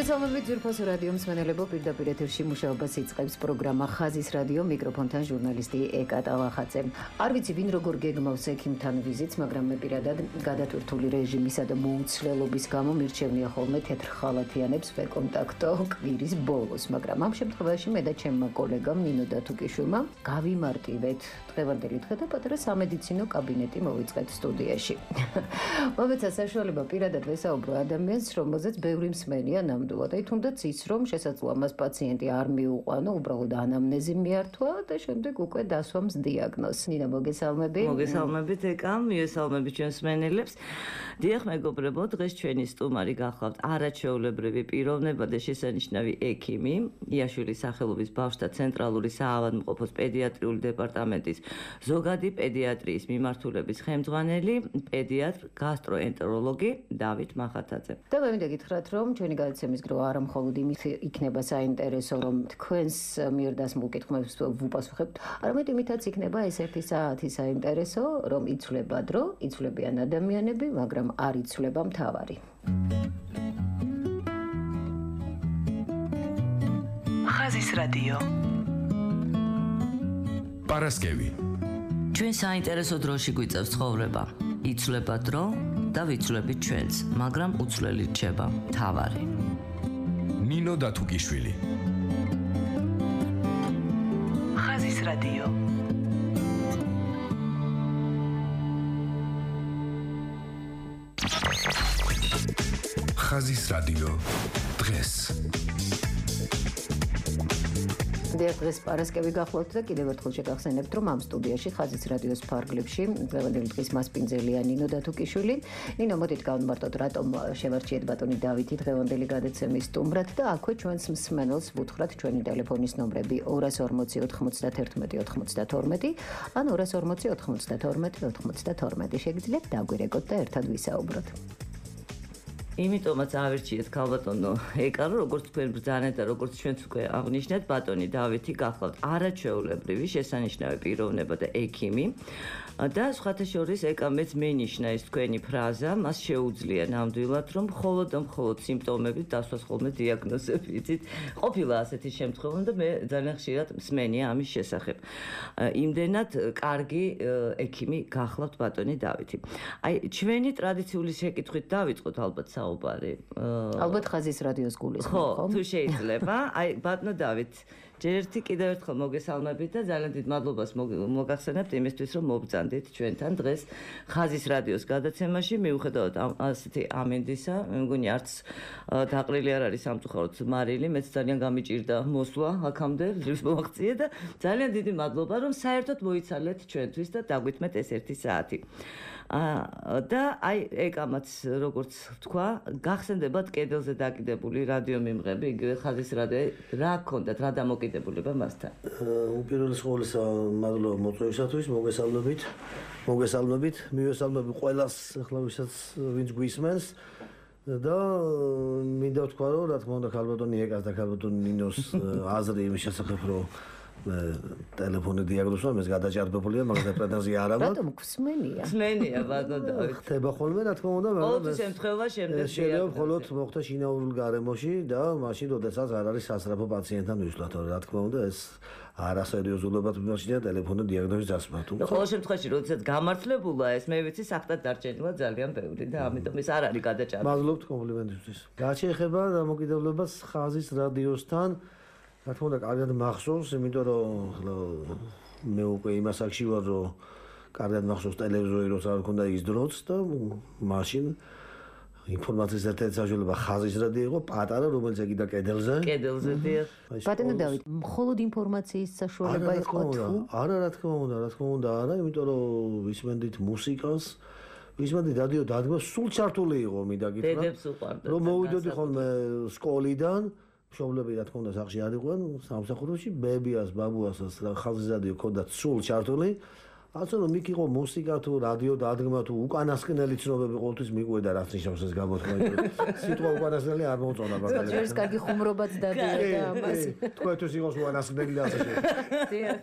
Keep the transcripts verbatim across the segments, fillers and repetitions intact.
მოგესალმებით ძვირფასო რადიო მსმენელებო, პირდაპირ ეთერში მუშაობას იწყებს პროგრამა ხაზის რადიო, მიკროფონთან ჟურნალისტი ეკა ტალახაძე. არ ვიცი ვინ როგორ გეგმავს ექიმთან ვიზიტს, მაგრამ მე პირადად გადატვირთული რეჟიმისა და მოუცლელობის გამო მირჩევნია ხოლმე თეთრ ხალათიანებს ვეკონტაქტო კვირის ბოლოს, მაგრამ ამ შემთხვევაში მე და ჩემმა კოლეგამ ნინო დათუკიშვილმა გავიმარტივეთ დღევანდელი დღე და პატარა სამედიცინო კაბინეტი მოვიწყეთ სტუდიაში. მომეცა საშუალება პირადად ვესაუბრო ადამიანს, რომელზეც ბევრი მსმენია ნამდვილად. აი თუნდაც ის, რომ შესაძლოა მას პაციენტი არ მიუყვანო, უბრალოდ ანამნეზი მიართვა და შემდეგ უკვე დასვამს დიაგნოზს. ნინა, მოგესალმები. მოგესალმებით ეკა, მიესალმებით ჩვენს მსმენელებს. დიახ, მეგობრებო, დღეს ჩვენი სტუმარი გახლავთ არაჩვეულებრივი პიროვნება და შესანიშნავი ექიმი, იაშვილის სახელობის ბავშვთა ცენტრალური საავადმყოფოს პედიატრიული დეპარტამენტის ზოგადი პედიატრიის მიმართულების ხელმძღვანელი, პედიატრ გასტროენტეროლოგი დავით მახათაძე. და მე მინდა გითხრათ, რომ ჩვენი გადაცემის გრო არა მხოლოდ იმით იქნება საინტერესო, რომ თქვენს მიერ დასმულ კითხვებს ვუპასუხებთ, არამედ იმითაც იქნება ეს ერთი საათი საინტერესო, რომ იცვლება დრო, იცვლებიან ადამიანები, მაგრამ არ იცვლება მთავარი. ხაზის რადიო. პარასკევი. ჩვენ საინტერესო დროში გვიწევს ცხოვრება. იცვლება დრო და ვიცვლებით ჩვენც, მაგრამ უცვლელი რჩება მთავარი. ნინო დათუკიშვილი. ხაზის რადიო. ხაზის რადიო დღეს. დღეს პარასკევი გახლავთ და კიდევ ერთხელ შეგახსენებთ, რომ ამ სტუდიაში ხაზის რადიოს ფარგლებში დღევანდელი დღის მასპინძელია ნინო დათუკიშვილი. ნინო, მოდით გავმარტოთ, რატომ შევარჩიეთ ბატონი დავითი დღევანდელი გადაცემის სტუმრად და აქვე ჩვენს მსმენელს ვუთხრათ ჩვენი ტელეფონის ნომრები ორას ორმოცი ოთხმოცდათერთმეტი ოცდათორმეტი ან ორას ორმოცი ოთხმოცდათორმეტი ოცდათორმეტი. შეგიძლიათ დაგვირეკოთ და ერთად ვისაუბროთ. იმიტომაც ავირჩიეთ ქალბატონო ეკა, როგორც თქვენ ბრძანეთ და როგორც ჩვენც უკვე აღნიშნეთ, ბატონი დავითი გახლავთ არაჩვეულებრივი შესანიშნავი პიროვნება და ექიმი და სხვათა შორის ეკა მეც მენიშნა ეს თქვენი ფრაზა, მას შეუძლია ნამდვილად, რომ მხოლოდ და მხოლოდ სიმპტომებით დასვას ხოლმე დიაგნოზები. იცით, ყოფილა ასეთი შემთხვევა და მე ძალიან ხშირად მსმენია ამის შესახებ. იმდენად კარგი ექიმი გახლავთ ბატონი დავითი. აი, ჩვენი ტრადიციული შეკითხვით დავიწყოთ ალბათ ალბათ ხაზის რადიოს გულისხმობ, ხო? თუ შეიძლება, აი ბატონო დავით, ჯერ ერთი კიდევ ერთხელ მოგესალმებით და ძალიან დიდ მადლობას მოგახსენებთ იმისთვის, რომ მობრძანდით ჩვენთან დღეს ხაზის რადიოს გადაცემაში, მიუხედავად ასეთი ამინდისა, მე მგონი არც დაყრილი არ არის სამწუხაროდ მარილი, მეც ძალიან გამიჭირდა მოსვლა აქამდე, ძლივს მომაღწია და ძალიან დიდი მადლობა, რომ საერთოდ მოიცალეთ ჩვენთვის და დაგვითმეთ ეს ერთი საათი. და აი ეკამაც როგორც თქვა, გახსენდებათ კედელზე დაკიდებული რადიო მიმღები, იგივე ხაზის რადიო, რა გქონდათ, რა დამოკიდებულება მასთან? უპირველეს ყოვლისა, მადლობა მოწვევისათვის, მოგესალმებით. მოგესალმებით, მივესალმები ყველას, ახლა ვისაც ვინც გვისმენს და მინდა ვთქვა, რომ რა თქმა უნდა ქალბატონი ეკას და ქალბატონი ნინოს აზრი იმის შესახებ, რომ ტელეფონი დიაგნოზმა მეს გადაჭარბებულია, მაგრამ პრეტენზია არ აქვს. რატომ გვსმენია? სმენია ბატონო დავით. ხდება ხოლმე, რა თქმა უნდა, მაგრამ ყოველ შემთხვევა შემდეგ შეიძლება მხოლოდ მოხდა შინაურულ გარემოში და მაშინ, როდესაც არ არის სასწრაფო პაციენტთან ვისვლათ, რა თქმა უნდა, ეს არასერიოზულობად მიმოჩნია ტელეფონი დიაგნოზის დასმა. და ყოველ შემთხვევაში, როდესაც გამართლებულა ეს, მე ვიცი, საფრთხად დარჩენილა ძალიან ბევრი და ამიტომ ეს არ არის გადაჭარბებული. მადლობთ კომპლიმენტისთვის. რაც შეეხება დამოკიდებულებას ხაზის რადიოსთან, რა თქმა უნდა, კარგად მახსოვს, იმიტომ რომ მე უკვე იმას აქში ვარ, რომ კარგად მახსოვს ტელევიზორი როცა არ მქონდა ის დროც და მაშინ ინფორმაციის ერთ-ერთი საშუალება ხაზის რადიო იყო, პატარა, რომელიც ეგიდა კედელზე. კედელზე დიახ. ბატონო დავით, მხოლოდ ინფორმაციის საშუალება იყო თუ? არა, რა თქმა უნდა, რა თქმა უნდა, არა, იმიტომ რომ ვისმენდით მუსიკას, ვისმენდით რადიო დადგმას, სულ ჩართული იყო, მინდა გითხრათ. დედებს უყვარდათ. რომ მოვიდოდი ხოლმე სკოლიდან, მშობლები რა თქმა უნდა სახში არ იყვნენ, სამსახურში, ბებიას, ბაბუასაც ხაზის რადიო ქონდათ სულ ჩართული. ასე რომ იქ იყო მუსიკა თუ რადიო დადგმა თუ უკანასკნელი ცნობები ყოველთვის მიყვედა რაც ნიშნავს ეს გამოთქმა. სიტყვა უკანასკნელი არ მოუწონა მაგალითად. ჯერს კარგი ხუმრობაც დადიოდა ამას. თქვენთვის იყოს უკანასკნელი და ასე დიახ.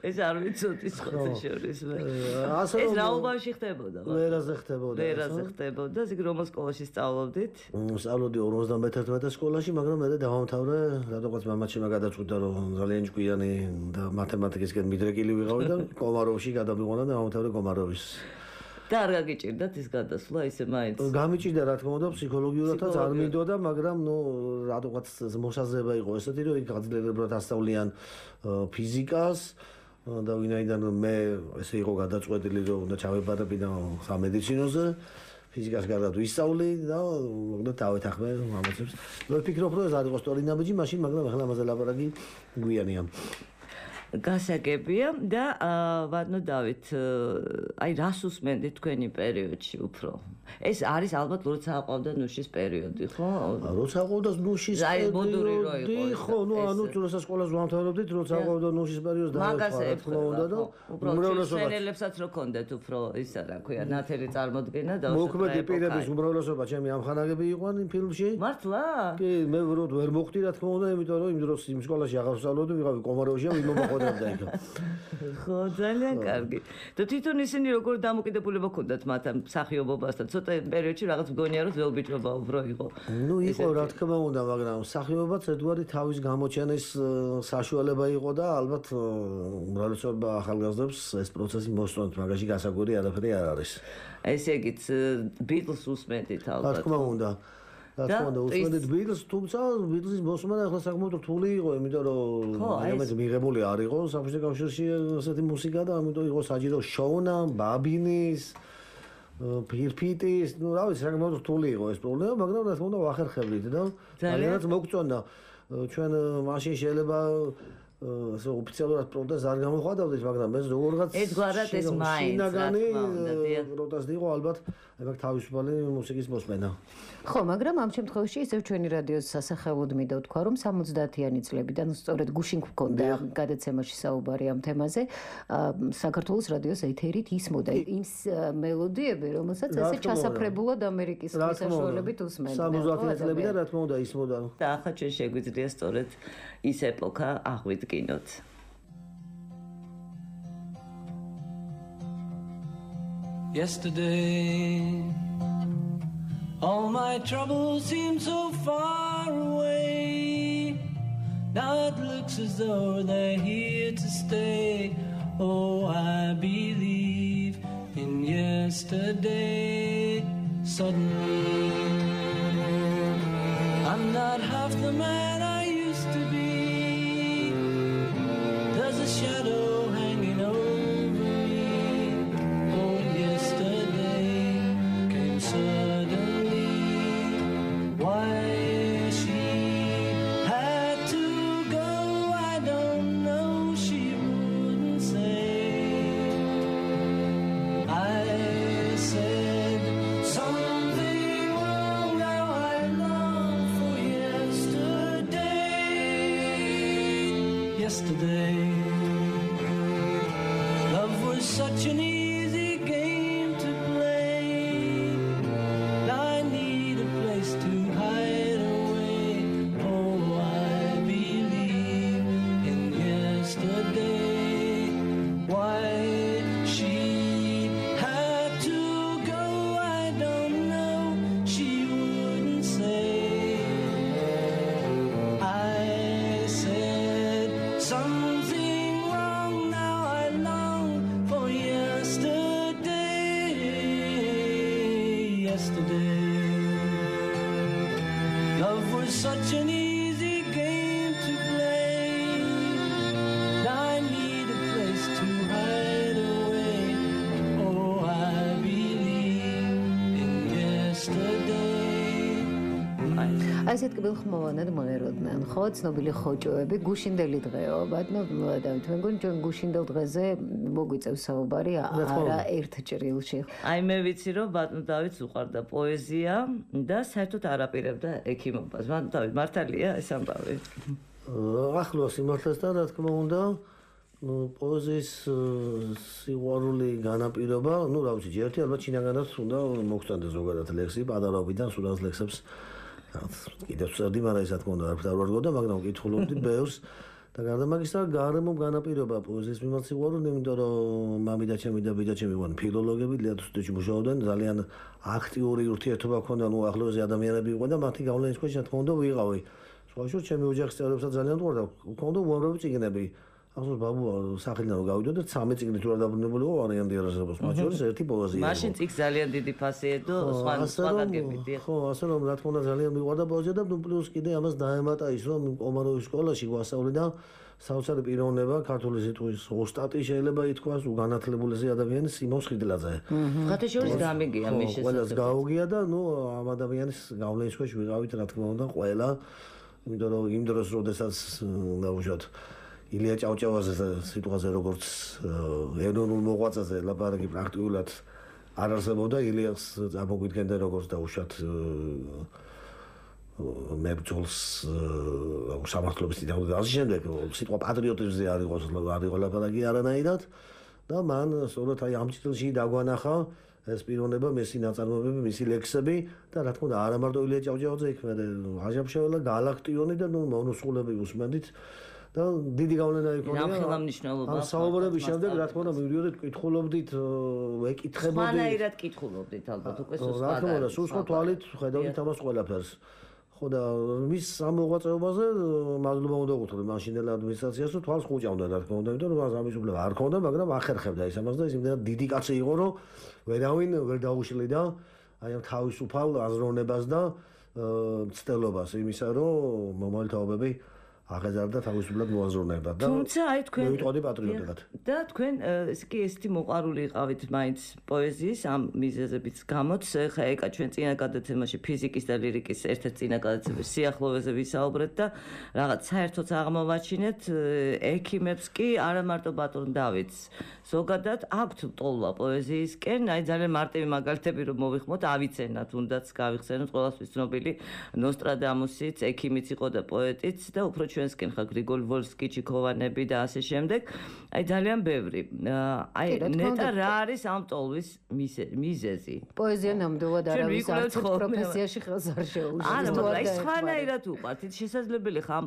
ეს არ ვიცოდი სხვა შორის. ასე ეს რომ რა უბანში ხდებოდა? ვერაზე ხდებოდა. ვერაზე ხდებოდა. იქ რომელ სკოლაში სწავლობდით? სწავლობდი ორმოცდამეთერთმეტე სკოლაში, მაგრამ მე დავამთავრე, რადგანაც მამაჩემმა გადაწყვიტა რომ ძალიან ჭკვიანი და მათემატიკისკენ მიდრეკილი ვიყავი და კომაროვში გადავიყვანა და დავამთავრე კომაროვის. და არ გაგიჭირდათ ის გადასვლა ისე მაინც? გამიჭირდა რა თქმა უნდა ფსიქოლოგიურადაც არ მინდოდა, მაგრამ ნუ რადგანაც მოსაზრება იყო ესეთი რომ იქ გაძლიერებლად ასწავლიან ფიზიკას და ვინაიდან მე ესე იყო გადაწყვეტილი რომ უნდა ჩავებარებინა სამედიცინოზე ფიზიკას გარდა ვისწავლი და მოგდა დავეთახმე ამაცებს. მე ვფიქრობ რომ ეს არ იყო სწორი ნაბიჯი მაშინ, მაგრამ ახლა ამაზე ლაპარაკი გვიანია. გასაგებია და ვადნო დავით, აი რას უსმენდით თქვენი პერიოდში უფრო? ეს არის ალბათ როცა აყვავდა ნუშის პერიოდი, ხო? როცა აყვავდა ნუშის პერიოდი, ხო, ნუ ანუ როცა სკოლას ვამთავრებდით, როცა აყვავდა ნუშის პერიოდი და მაგაზე ეხლა და უმრავლესობაც რო კონდეთ უფრო ისა რა ქვია, ნათელი წარმოდგენა და მოქმედი პირების უმრავლესობა ჩემი ამხანაგები იყვნენ იმ ფილმში. მართლა? კი, მე ვრო ვერ მოხდი რა თქმა უნდა, იმიტომ რომ იმ დროს იმ სკოლაში აღარ ვსწავლობდი, ვიყავი კომაროვში და ვიმოხდა ხო, ძალიან კარგი. და თვითონ ისინი როგორ დამოკიდებულება ჰქონდათ მათ ამ მსახიობობასთან? ცოტა პერიოდში რაღაც მგონია რომ ძველბიჭობა უფრო იყო. ნუ იყო რა თქმა უნდა, მაგრამ მსახიობობაც ერთგვარი თავის გამოჩენის საშუალება იყო და ალბათ უმრავლესობა ახალგაზრდებს ეს პროცესი მოსწონთ, მაგაში გასაკვირი არაფერი არ არის. ესე იგიც ბიტლს უსმენდით ალბათ. რა თქმა უნდა. რა თქმა უნდა, უსმენდით ბიტლს, თუმცა ბიტლსის მოსმენა ახლა საკმაოდ რთული იყო, იმიტომ რომ ამაზე მიღებული არ იყო საბჭოთა კავშირში ასეთი მუსიკა და ამიტომ იყო საჭირო შოუნა, ბაბინის, ფირფიტის, ну, რა ვიცი, საკმაოდ რთული იყო ეს პრობლემა, მაგრამ რა თქმა უნდა ვახერხებდით და ძალიანაც მოგწონდა. ჩვენ მაშინ შეიძლება ასე ოფიციალურად პროტესტს არ გამოხატავდით, მაგრამ ეს როგორღაც ერთგვარად ეს მაინც რა თქმა უნდა, დიახ. პროტესტი იყო ალბათ, ეგ თავისუფალი მუსიკის მოსმენა. ხო, მაგრამ ამ შემთხვევაში ისევ ჩვენი რადიოს სასახელოდ მინდა ვთქვა, რომ სამოცდაათიანი წლებიდან სწორედ გუშინ გვქონდა გადაცემაში საუბარი ამ თემაზე, საქართველოს რადიოს ეთერით ისმოდა იმ მელოდიები, რომელსაც ესე ჩასაფრებულად ამერიკის საშუალებით უსმენდა. სამოცდაათიანი წლებიდან რა თქმა უნდა ისმოდა. და ახლა ჩვენ შეგვიძლია სწორედ ის ეპოქა აღვიდგინოთ. Yesterday, all my troubles seem so far away. Now it looks as though they're here to stay. Oh, I believe in yesterday. Suddenly, I'm not half the man I used to be. There's a shadow hanging over me. Oh, yesterday came suddenly. Why she had to go, I don't know. She wouldn't say. I said something wrong. Now I long for yesterday. Yesterday, love was such an easy game to play. Now I need a place to hide away. Oh, I believe in yesterday. Why she had to go, I don't know. She wouldn't say. I said something wrong. Now I long for yesterday. Yesterday, love was such an easy game to play. Now I need a place to hide away. Oh, I believe in yesterday. აი ესეთ კბილხმოვანად მოეროდნენ, ხო, ცნობილი ხოჭოები, გუშინდელი დღეო, ბატონო დავით, მე მგონი ჩვენ გუშინდელ დღეზე მოგვიწევს საუბარი არა ერთ ჭრილში. აი მე ვიცი რომ ბატონო დავითს უყვარდა პოეზია და საერთოდ არ აპირებდა ექიმობას. ბატონო დავით, მართალია ეს ამბავი? ახლოს იმართლესთან რა თქმა უნდა, ну პოეზიის სიყვარული განაპირობა, ну რა ვიცი, ერთი ალბათ შინაგანად უნდა მოგწონდეს ზოგადად ლექსი, პატარაობიდან სულ ამ ლექსებს კიდევ ვწერდი, მაგრამ ეს რა თქმა უნდა არ ვდარვარგო და მაგრამ ვკითხულობდი ბევრს და გარდა მაგისა გარემო განაპირობა პოეზიის მიმართ სიყვარული, იმიტომ რომ მამი და ჩემი და ბიძა ჩემი ვარენ ფილოლოგები, ლეადოსტეში მუშაობდნენ, ძალიან აქტიური ურთიერთობა ჰქონდა, ну ახლოზე ადამიანები იყვნენ და მათი გავლენის ქვეშ რა თქმა უნდა ვიყავი. სხვა შორის ჩემი ოჯახის წევრებსაც ძალიან თქონდა, ჰქონდა უამრავი წიგნები. ახლა ბაბუ სახელიდან რომ გავიდო და ცამეტ წიგნით რა დაბრუნებული იყო ვარიანტი არასდროს, მათ შორის ერთი პოეზია. მაშინ წიგს ძალიან დიდი ფასი ედო, სხვა სხვა გაგებიდი. ხო, ასე რომ რა თქმა უნდა ძალიან მიყვარდა პოეზია და ნუ პლუს კიდე ამას დაემატა ის რომ კომაროვის სკოლაში გვასწავლე და საოცარი პიროვნება ქართული სიტყვის ოსტატი შეიძლება ითქვას უგანათლებულესი ადამიანი სიმონ ხიდლაძე. ხათე შორის გამიგია მის შესაძლებლად. ყველას გაუგია და ნუ ამ ადამიანის გავლენის ქვეშ ვიყავით რა თქმა უნდა ყველა. იმიტომ რომ იმ დროს როდესაც დავუშვათ ილია ჭავჭავაძე სიტყვაზე როგორც ეროვნულ მოღვაწეზე ლაპარაკი პრაქტიკულად არ არსებობდა ილიას ამოგვიდგენდა როგორც დაუშვათ მებრძოლს სამართლობის დიდებული და ამ შემდეგ სიტყვა პატრიოტიზმზე არ იყო არ იყო ლაპარაკი არანაირად და მან სწორედ აი ამ ჭრილში დაგვანახა ეს პიროვნება, მისი ნაწარმოებები, მისი ლექსები და რა თქმა უნდა არა მარტო ილია ჭავჭავაძე იქ მე აჟამშეველა გალაქტიონი და ნუ მონოსულები უსმენდით და დიდი გავლენა იქონია. ამ ხელმნიშნულობა. საუბრების შემდეგ რა თქმა უნდა მივიდოდით, კითხულობდით, ვეკითხებოდით. სხვანაირად კითხულობდით ალბათ უკვე სულ სხვა. რა თქმა უნდა, სულ სხვა თვალით ხედავდით ამას ყველაფერს. ხო და მის ამ მოღვაწეობაზე მადლობა უნდა ვუხდე მაშინდელ ადმინისტრაციას, რომ თვალს ხუჭავდა რა თქმა უნდა, იმიტომ რომ მას ამის უფლება არ ქონდა, მაგრამ ახერხებდა ის ამას და ის იმდენად დიდი კაცი იყო, რომ ვერავინ ვერ დაუშლიდა აი ამ თავისუფალ აზროვნებას და მცდელობას იმისა, რომ მომავალი თაობები აღეზარდა თავისუფლად მოაზროვნებდა და თუმცა აი თქვენ მივიტყოდი პატრიოტებად. და თქვენ ეს კი ესეთი მოყარული იყავით მაინც პოეზიის ამ მიზეზებით გამოც ხა ეკა ჩვენ წინა გადაცემაში ფიზიკის და ლირიკის ერთ-ერთ წინა გადაცემაში სიახლოვეზე ვისაუბრეთ და რაღაც საერთოდ აღმოვაჩინეთ ექიმებს კი არა მარტო ბატონ დავითს ზოგადად აქვთ ტოლვა პოეზიისკენ აი ძალიან მარტივი მაგალითები რომ მოვიხმოთ ავიცენათ უნდაც გავიხსენოთ ყველასთვის ცნობილი ნოსტრადამუსიც ექიმიც იყო და პოეტიც და უფრო ჩვენსკენ ხა გრიგოლ ვოლსკი, ჩიქოვანები და ასე შემდეგ. აი ძალიან ბევრი. აი ნეტა რა არის ამ ტოლვის მიზეზი? პოეზია ნამდვილად არავის არც პროფესიაში ხელს არ შეუშვებს. არა, მაგრამ აი სხვანაირად უყვართ. შესაძლებელი ხა ამ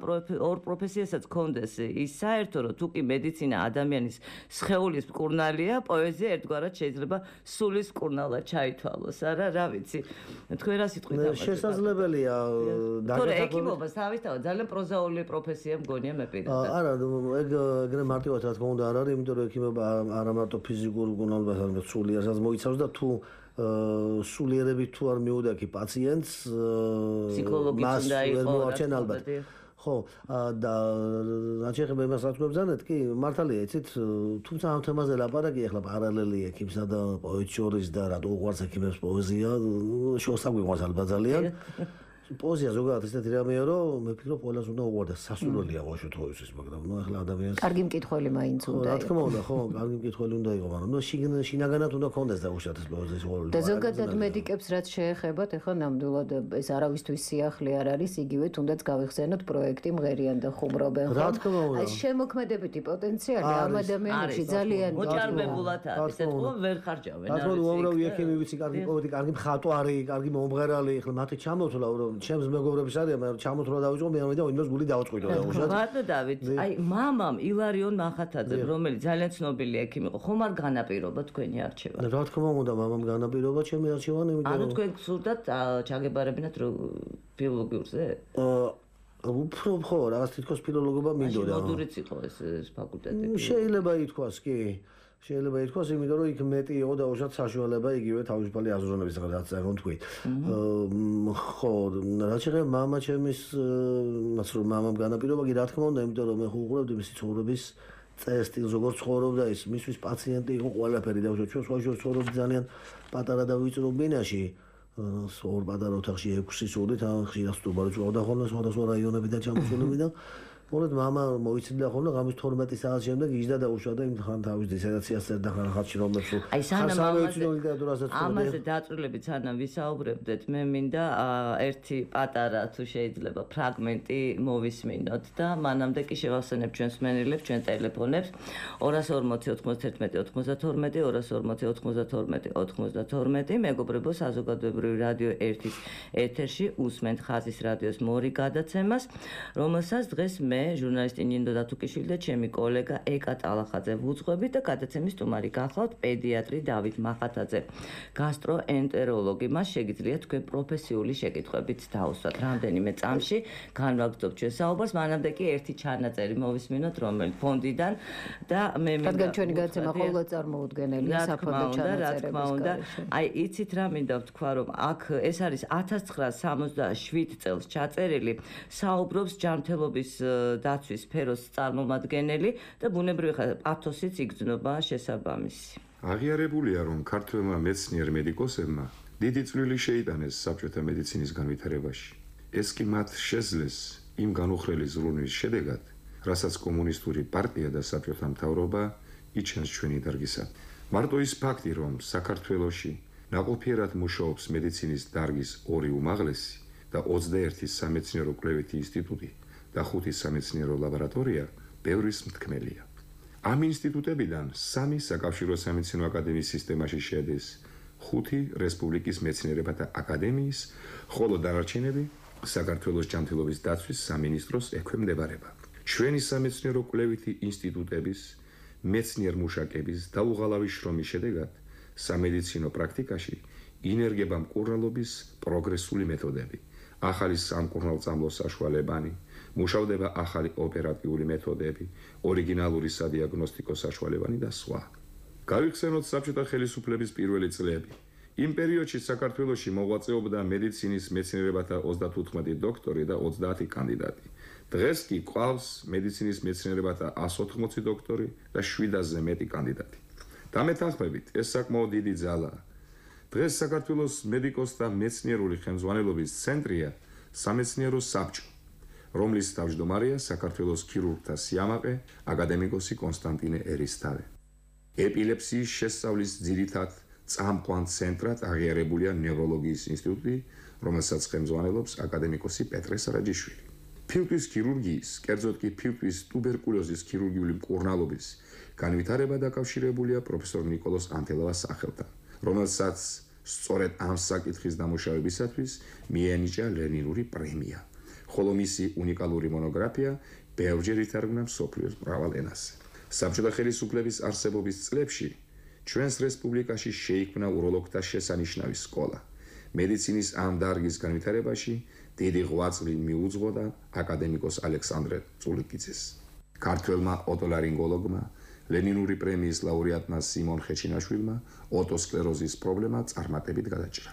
ორ პროფესიასაც კონდეს ის საერთო რომ თუ კი მედიცინა ადამიანის სხეულის მკურნალია, პოეზია ერთგვარად შეიძლება სულის მკურნალად ჩაითვალოს. არა, რა ვიცი. თქვენ რა სიტყვით ამბობთ? შესაძლებელია თორე ექიმობას თავისთავად ძალიან პროზაული პროფესია მგონია მე პირადად. არა, ეგ ეგრე მარტივად რა თქმა უნდა არ არის, იმიტომ რომ ექიმობა არა მარტო ფიზიკურ მკურნალობას, არამედ სულიერსაც მოიცავს და თუ სულიერებით თუ არ მიუდაქი პაციენტს ფსიქოლოგიც უნდა იყოს ალბათ. ხო, და რაც შეეხება იმას რაც გვებზანეთ, კი, მართალია, იცით, თუმცა ამ თემაზე ლაპარაკი ახლა პარალელი ექიმსა და პოეტ შორის და რატო უყვარს ექიმებს პოეზია, შორს აგვიყვარს ალბათ ძალიან. პოეზია ზოგადად ესეთი რამეა, რომ მე ვფიქრობ, ყველას უნდა უყვარდეს, სასურველია ვაშოთ ყოველთვის, მაგრამ ნუ ახლა ადამიანს კარგი მკითხველი მაინც უნდა იყოს. რა თქმა უნდა, ხო, კარგი მკითხველი უნდა იყოს, მაგრამ ნუ შინაგანად უნდა კონდეს და უშათ ეს პოეზიის უყვარლობა. და ზოგადად მედიკებს რაც შეეხებათ, ახლა ნამდვილად ეს არავისთვის სიახლე არ არის, იგივე თუნდაც გავიხსენოთ პროექტი მღერიან და ხუმრობენ. რა თქმა უნდა. აი შემოქმედებითი პოტენციალი ამ ადამიანებში ძალიან მოჭარბებულად არის, ეთქო ვერ ხარჯავენ. რა თქმა უნდა, უამრავი ექიმი ვიცი, კარგი პოეტი, კარგი მხატვარი, კარგი მომღერალი, ახლა მათი ჩამოთვლა რომ ჩემს მეგობრებს არის, მაგრამ ჩამოთვლა დავიწყო, მე ამიტომ იმას გული დავწყვიტო და უშოთ. ბატონო დავით, აი მამამ ილარიონ მახათაძემ, რომელიც ძალიან ცნობილი ექიმი იყო, ხომ არ განაპირობა თქვენი არჩევა? რა თქმა უნდა, მამამ განაპირობა ჩემი არჩევანი, იმიტომ ანუ თქვენ გსურდათ ჩაგებარებინათ ფილოლოგიურზე? აა უფრო ხო, რაღაც თითქოს ფილოლოგობა მინდოდა. მოდურიც იყო ეს ფაკულტეტი. შეიძლება ითქვას, კი. შეიძლება ითქვას, იმიტომ რომ იქ მეტი იყო და უშოთ საშუალება იგივე თავისუფალი აზროვნების რაღაც რა თქვი. ხო, რაც შეეხება მამა ჩემის, მას რომ მამამ განაპირობა, კი რა თქმა უნდა, იმიტომ რომ მე ხუღურებდი მისი ცხოვრების წესტილს, როგორც ცხოვრობდა ის, მისთვის პაციენტი იყო ყველაფერი და უშოთ ჩვენ სხვა შორის ცხოვრობდი ძალიან პატარა და ვიწრო ბინაში. ორ პატარა ოთახში ექვსი სულით, ხშირად სტუმარი წვავდა ხოლმე სხვადასხვა რაიონებიდან ჩამოსულები და მოლოდ მამა მოიცინდა ხოლმე ღამის თორმეტი საათის შემდეგ იჯდა და უშვა და იმ ხან თავის დისერტაციას წერდა ხან ხალხში რომლებს აი სანამ ამაზე ლიტერატურასაც ამაზე დაწვრილებით სანამ ვისაუბრებდეთ მე მინდა ერთი პატარა თუ შეიძლება ფრაგმენტი მოვისმინოთ და მანამდე კი შევახსენებ ჩვენს მსმენელებს ჩვენ ტელეფონებს ორას ორმოცი ოცდაერთი ოცდათორმეტი ორას ორმოცი ოცდათორმეტი ოცდათორმეტი მეგობრებო საზოგადოებრივი რადიო ერთის ეთერში უსმენთ ხაზის რადიოს მორიგ გადაცემას რომელსაც დღეს მე ჟურნალისტი ნინო დათუკიშვილი და ჩემი კოლეგა ეკა ტალახაძე ვუძღვებით და გადაცემის სტუმარი გახლავთ პედიატრი დავით მახათაძე გასტროენტეროლოგი მას შეგიძლიათ თქვენ პროფესიული შეკითხვებით დაუსვათ რამდენიმე წამში განვაგრძობთ ჩვენ საუბარს მანამდე კი ერთი ჩანაწერი მოვისმინოთ რომელი ფონდიდან და მე მინდა რადგან ჩვენი გადაცემა ყოველდღე წარმოუდგენელია საფონდო ჩანაწერების გარეშე აი იცით რა მინდა ვთქვა რომ აქ ეს არის ათას ცხრაას სამოცდაშვიდ წელს ჩაწერილი საუბრობს ჯანმრთელობის დაცვის სფეროს წარმომადგენელი და ბუნებრივი ხარ პათოსიც იგრძნობა შესაბამისი. აღიარებულია რომ ქართველმა მეცნიერ მედიკოსებმა დიდი წვლილი შეიტანეს საბჭოთა მედიცინის განვითარებაში. ეს კი მათ შეძლეს იმ განუხრელი ზრუნვის შედეგად, რასაც კომუნისტური პარტია და საბჭოთა მთავრობა იჩენს ჩვენი დარგისად. მარტო ის ფაქტი რომ საქართველოში ნაყოფიერად მუშაობს მედიცინის დარგის ორი უმაღლესი და ოცდაერთი სამეცნიერო კვლევითი ინსტიტუტი და ხუთი სამეცნიერო ლაბორატორია ბევრის მთქმელია. ამ ინსტიტუტებიდან სამი საკავშირო სამეცნიერო აკადემიის სისტემაში შედის, ხუთი რესპუბლიკის მეცნიერებათა აკადემიის, ხოლო დანარჩენები საქართველოს ჯანმრთელობის დაცვის სამინისტროს ექვემდებარება. ჩვენი სამეცნიერო კვლევითი ინსტიტუტების მეცნიერ-მუშაკების დაუღალავი შრომის შედეგად სამედიცინო პრაქტიკაში ინერგება მკურნალობის პროგრესული მეთოდები, ახალი სამკურნალწამლო საშუალებანი, მუშავდება ახალი ოპერატიული მეთოდები, ორიგინალური სადიაგნოსტიკო საშუალებანი და სხვა. გავიხსენოთ საბჭოთა ხელისუფლების პირველი წლები. იმ პერიოდში საქართველოში მოღვაწეობდა მედიცინის მეცნიერებათა ოცდათოთხმეტი დოქტორი და ოცდაათი კანდიდატი. დღეს კი ყავს მედიცინის მეცნიერებათა ასი ოცდაოთხი დოქტორი და შვიდასზე მეტი კანდიდატი. დამეთანხმებით, ეს საკმაოდ დიდი ძალაა. დღეს საქართველოს მედიკოსთა მეცნიერული ხელმძღვანელობის ცენტრია სამეცნიერო საბჭო, რომლის თავმჯდომარეა საქართველოს ქირურგთა სიამაყე აკადემიკოსი კონსტანტინე ერისთავე. ეპილეფსიის შესწავლის ძირითად წამყვან ცენტრად აღიარებულია ნევროლოგიის ინსტიტუტი, რომელსაც ხელმძღვანელობს აკადემიკოსი პეტრე სარაჯიშვილი. ფილტვის ქირურგიის, კერძოდ კი ფილტვის ტუბერკულოზის ქირურგიული მკურნალობის განვითარება დაკავშირებულია პროფესორ ნიკოლოზ ანთელავას სახელთან, რომელსაც სწორედ ამ საკითხის დამუშავებისათვის მიენიჭა ლენინური პრემია, ხოლო მისი უნიკალური მონოგრაფია ბევრჯერ ითარგმნა მსოფლიოს მრავალ ენაზე. საბჭოთა ხელისუფლების არსებობის წლებში ჩვენს რესპუბლიკაში შეიქმნა უროლოგთა შესანიშნავი სკოლა. მედიცინის ამ დარგის განვითარებაში დიდი ღვაწლი მიუძღოდა აკადემიკოს ალექსანდრე წულიკიძეს. ქართველმა ოტოლარინგოლოგმა, ლენინური პრემიის ლაურეატმა სიმონ ხეჩინაშვილმა ოტოსკლეროზის პრობლემა წარმატებით გადაჭრა.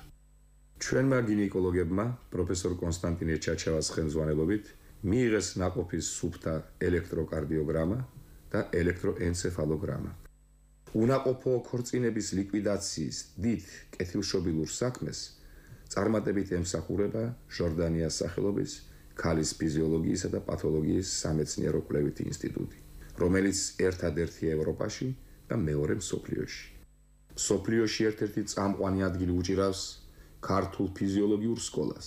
ჩვენმა გინეკოლოგებმა პროფესორ კონსტანტინე ჩაჩევას ხელმძღვანელობით მიიღეს ნაყოფის სუფთა ელექტროკარდიოგრამა და ელექტროენცეფალოგრამა. უნაყოფო ქორწინების ლიკვიდაციის დიდ კეთილშობილურ საქმეს წარმატებით ემსახურება ჟორდანიას სახელობის ქალის ფიზიოლოგიისა და პათოლოგიის სამეცნიერო კვლევითი ინსტიტუტი, რომელიც ერთადერთია ევროპაში და მეორე მსოფლიოში. მსოფლიოში ერთ-ერთი წამყვანი ადგილი უჭირავს ქართულ ფიზიოლოგიურ სკოლას.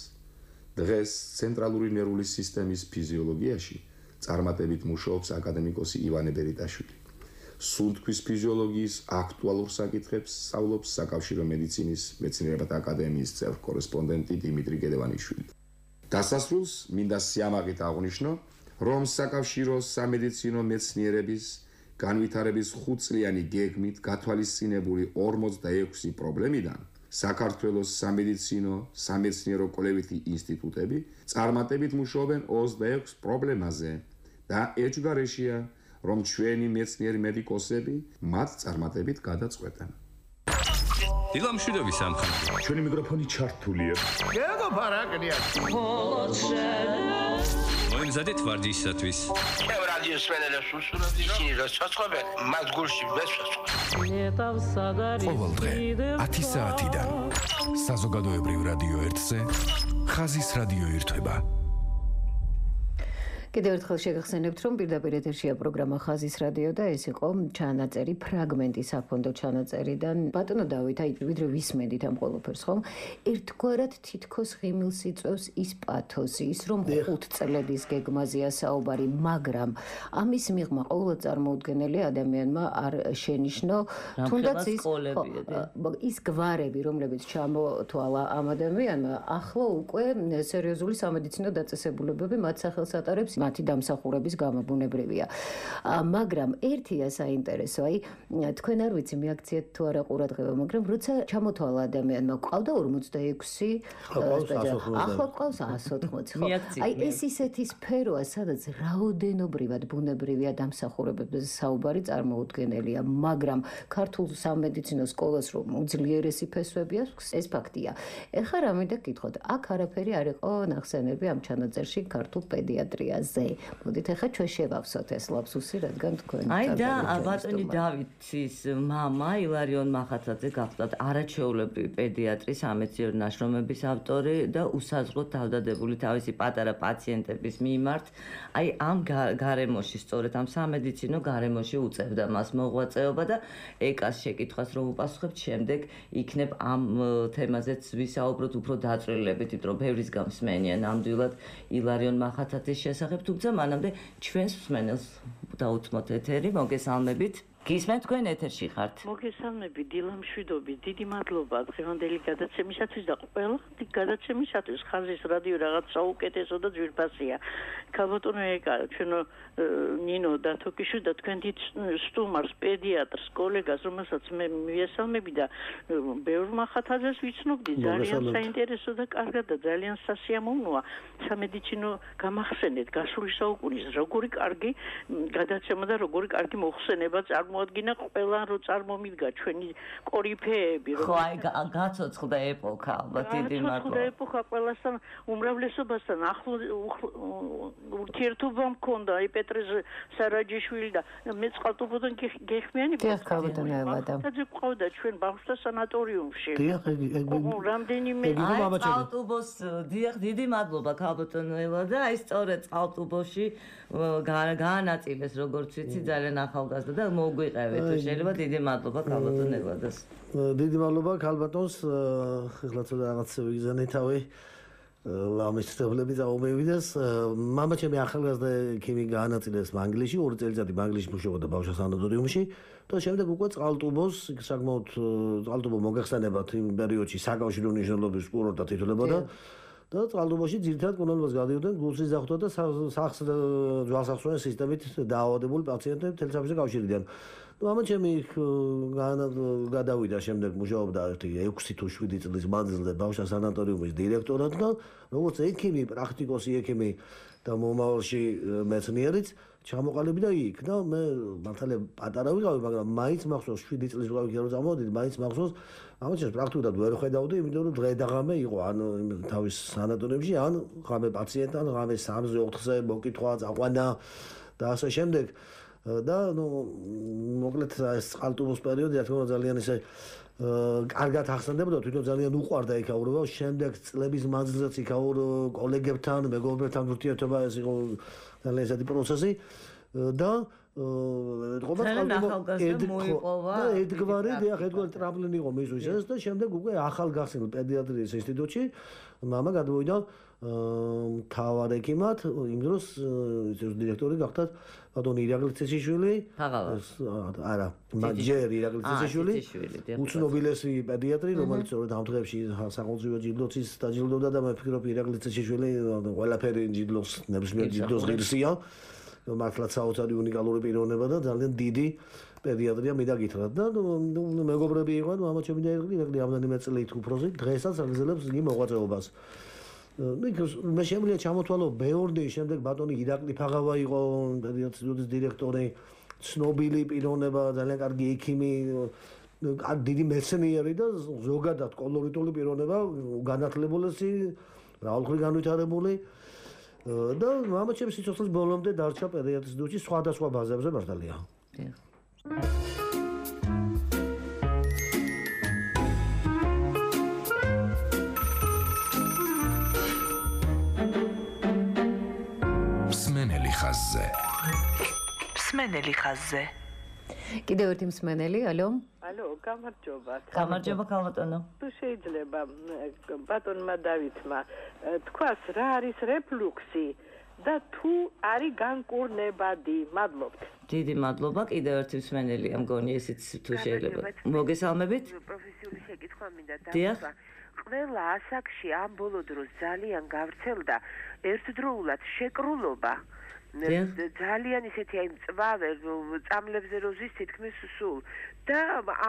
დღეს ცენტრალური ნერვული სისტემის ფიზიოლოგიაში წარმატებით მუშაობს აკადემიკოსი ივანე ბერიტაშვილი. სუნთქვის ფიზიოლოგიის აქტუალურ საკითხებს სწავლობს საკავშირო მედიცინის მეცნიერებათა აკადემიის წევრ კორესპონდენტი დიმიტრი გედევანიშვილი. დასასრულს მინდა სიამაყით აღვნიშნო, რომ საკავშირო სამედიცინო მეცნიერების განვითარების ხუთწლიანი გეგმით გათვალისწინებული ორმოცდაექვსი პრობლემიდან საქართველოს სამედიცინო სამეცნიერო კვლევითი ინსტიტუტები წარმატებით მუშაობენ ოცდაექვს პრობლემაზე და ეჭვგარეშეა რომ ჩვენი მეცნიერი მედიკოსები მათ წარმატებით გადაწყვეტენ. დილამშვიდობი სამხატვრო. ჩვენი მიკროფონი ჩართულია. გეგო ფარაკნია. მოიმზადეთ ვარჯიშისათვის. ჩემ რადიოს მენელებს უსურვებდი, ისინი რა ჩაწყობენ, მათ გულში ვესვასხო. ყოველდღე ათი საათიდან საზოგადოებრივ რადიო ერთზე ხაზის რადიო ირთვება. კიდევ ერთხელ შეგახსენებთ, რომ პირდაპირ ეთერშია პროგრამა ხაზის რადიო და ეს იყო ჩანაწერი, ფრაგმენტი საფონდო ჩანაწერიდან. ბატონო დავით, აი ვიდრე ვისმენდით ამ ყველაფერს, ხომ? ერთგვარად თითქოს ღიმილს იწვევს ის პათოსი, ის რომ ხუთ წლების გეგმაზეა საუბარი, მაგრამ ამის მიღმა ყოველ წარმოუდგენელი ადამიანმა არ შენიშნო, თუნდაც ის ის გვარები, რომლებიც ჩამოთვალა ამ ადამიანმა, ახლა უკვე სერიოზული სამედიცინო დაწესებულებები მათ სახელს ატარებს, მათი დამსახურების გამაბუნებრივია. მაგრამ ერთია საინტერესო, აი თქვენ არ ვიცი მიაქციეთ თუ არა ყურადღება, მაგრამ როცა ჩამოთვალა ადამიანმა ყავდა ორმოცდაექვსი ახლა ყავს εκατს ოთხმოცი. აი ეს ისეთი სფეროა, სადაც რაოდენობრივად ბუნებრივია დამსახურებებზე საუბარი წარმოუდგენელია, მაგრამ ქართულ სამედიცინო სკოლას რომ უძლიერესი ფესვები აქვს, ეს ფაქტია. ეხლა რა მინდა გითხოთ, აქ არაფერი არ იყო ნახსენები ამ ჩანაწერში ქართულ პედიატრიაზე. მოდით ახლა ჩვენ შევავსოთ ეს ლაფსუსი, რადგან თქვენ აი და ბატონი დავითის მამა ილარიონ მახათაძე გახლდათ არაჩვეულებრივი პედიატრი, სამეცნიერო ნაშრომების ავტორი და უსაზღვროდ თავდადებული თავისი პატარა პაციენტების მიმართ. აი ამ გარემოში, სწორედ ამ სამედიცინო გარემოში უწევდა მას მოღვაწეობა და ეკას შეკითხვას რომ უპასუხებთ, შემდეგ იქნებ ამ თემაზეც ვისაუბროთ უფრო დაწვრილებით, იმიტომ რომ ბევრის გამსმენია ნამდვილად ილარიონ მახათაძის შესახებ, თუმცა მანამდე ჩვენს მსმენელს დაუთმოთ ეთერი, მოგესალმებით. გისმენთ, თქვენ ეთერში ხართ. მოგესალმები, დილა მშვიდობის, დიდი მადლობა დღევანდელი გადაცემისათვის და ყველა გადაცემისათვის. ხაზის რადიო რაღაც საუკეთესო და ძვირფასია. ქალბატონო ეკა, ჩვენო ნინო დათოკიშვილი და თქვენ დიდ სტუმარს, პედიატრს, კოლეგას, რომელსაც მე მივესალმები და ბევრ მახათაძეს ვიცნობდი, ძალიან საინტერესო და კარგად და ძალიან სასიამოვნოა. სამედიცინო გამახსენეთ გასული საუკუნის როგორი კარგი გადაცემა და როგორი კარგი მოხსენება წარმო მოადგინა ყველა რო წარმომიდგა ჩვენი კორიფეები რომ ხო აი გაცოცხლდა ეპოქა ალბათ დიდი მადლობა გაცოცხლდა ეპოქა ყველასთან უმრავლესობასთან ახლო ურთიერთობა მქონდა აი პეტრე სარაჯიშვილი და მე წყალტუბოდან გეხმიანი და ყავდა ჩვენ ბავშვთა სანატორიუმში რამდენიმე აი წყალტუბოს დიახ დიდი მადლობა ქალბატონელა და აი სწორედ წყალტუბოში გაანაწილეს როგორც ვიცი ძალიან ახალგაზრდა და მოგვი შეიძლება დიდი მადლობა ქალბატონელადას. დიდი მადლობა ქალბატონს, ეხლა ცოტა რაღაც ვიგზავნე თავი. ამის ცდები დაუმევიდეს. მამა ჩემი ახალგაზრდა ქიმი გაანაწილეს მანგლისში, ორი წელიწადი მანგლისში მუშაობდა ბავშვთა სანატორიუმში და შემდეგ უკვე წყალტუბოს, საკმაოდ წყალტუბო მოგეხსენებათ იმ პერიოდში საკავშირო მნიშვნელობის კურორტად ითვლებოდა. და წყალტუბოში ძირითადად კუნალობას გადიოდნენ გულსის ზახვრა და სახს ძვალსახსოვანი სისტემით დაავადებული პაციენტები მთელი საფრანგეთის კავშირიდან. მამა ჩემი გადავიდა შემდეგ მუშაობდა ერთი ექვსი თუ შვიდი წლის მანძილზე ბავშვთა სანატორიუმის დირექტორად და როგორც ექიმი, პრაქტიკოსი ექიმი და მომავალში მეცნიერიც ჩამოყალიბდა და იქ და მე მართალია პატარა ვიყავი, მაგრამ მაინც მახსოვს შვიდი წლის ვიყავი რომ წამოვიდით, მაინც მახსოვს ამაჩას პრაქტიკულად ვერ ხედავდი, იმიტომ რომ დღე და ღამე იყო ან თავის სანატორიუმში, ან ღამე პაციენტთან, ღამე სამზე ოთხზე მოკითხვა, წაყვანა და ასე შემდეგ. და ნუ მოკლედ ეს წყალტუბოს პერიოდი რა თქმა უნდა ძალიან ისე კარგად ახსენდებოდა, თვითონ ძალიან უყვარდა იქაურობა, შემდეგ წლების მანძილზეც იქაურ კოლეგებთან, მეგობრებთან ურთიერთობა ეს იყო ძალიან ესეთი პროცესი და ეთყობა მოიპოვა და ერთგვარი დიახ ერთგვარი ტრამპლინი იყო მისთვის ეს და შემდეგ უკვე ახალგახსნილ პედიატრიის ინსტიტუტში მამა გადმოვიდა მთავარ ექიმად, იმ დროს დირექტორი გახდათ ბატონი ირაკლი წესიშვილი. არა, ჯერ ირაკლი წესიშვილი. უცნობილესი პედიატრი, რომელიც სწორედ ამ დღეებში სახელმწიფო ჯილდოც დაჯილდოვდა და მე ვფიქრობ ირაკლი წესიშვილი ყველაფერი ჯილდოს, ნებისმიერ ჯილდოს ღირსია. მართლაც საოცარი უნიკალური პიროვნება და ძალიან დიდი პედიატრია მინდა გითხრათ და მეგობრები იყვნენ, მამა ჩემი და ირაკლი რამდენიმე წლით უფროსი, დღესაც აგრძელებს იგი მოღვაწეობას. მე შემიძლია ჩამოთვალო ბევრი შემდეგ ბატონი ირაკლი ფაღავა იყო პედიატრიის დირექტორი, ცნობილი პიროვნება, ძალიან კარგი ექიმი, დიდი მეცნიერი და ზოგადად კოლორიტული პიროვნება, განათლებულესი, მრავალმხრივ განვითარებული და მამა ჩემს სიცოცხლის ბოლომდე დარჩა პედიატრიის ინსტიტუტში სხვადასხვა ბაზებზე მართალია. მსმენელი ხაზზე. მსმენელი ხაზზე. კიდევ ერთი მსმენელი, ალო? ალო, გამარჯობა. გამარჯობა ქალბატონო. თუ შეიძლება ბატონმა დავითმა თქვას რა არის რეფლუქსი და თუ არის განკურნებადი? მადლობთ. დიდი მადლობა, კიდევ ერთი მსმენელი ამგონი ესეც თუ შეიძლება. მოგესალმებით? პროფესიული შეკითხვა მინდა დიახ. დავსვა. ყველა ასაკში ამ ბოლო დროს ძალიან გავრცელდა ერთდროულად შეკრულობა. ძალიან ისეთი აი მწვავე წამლებზე როზის თითქმის სულ და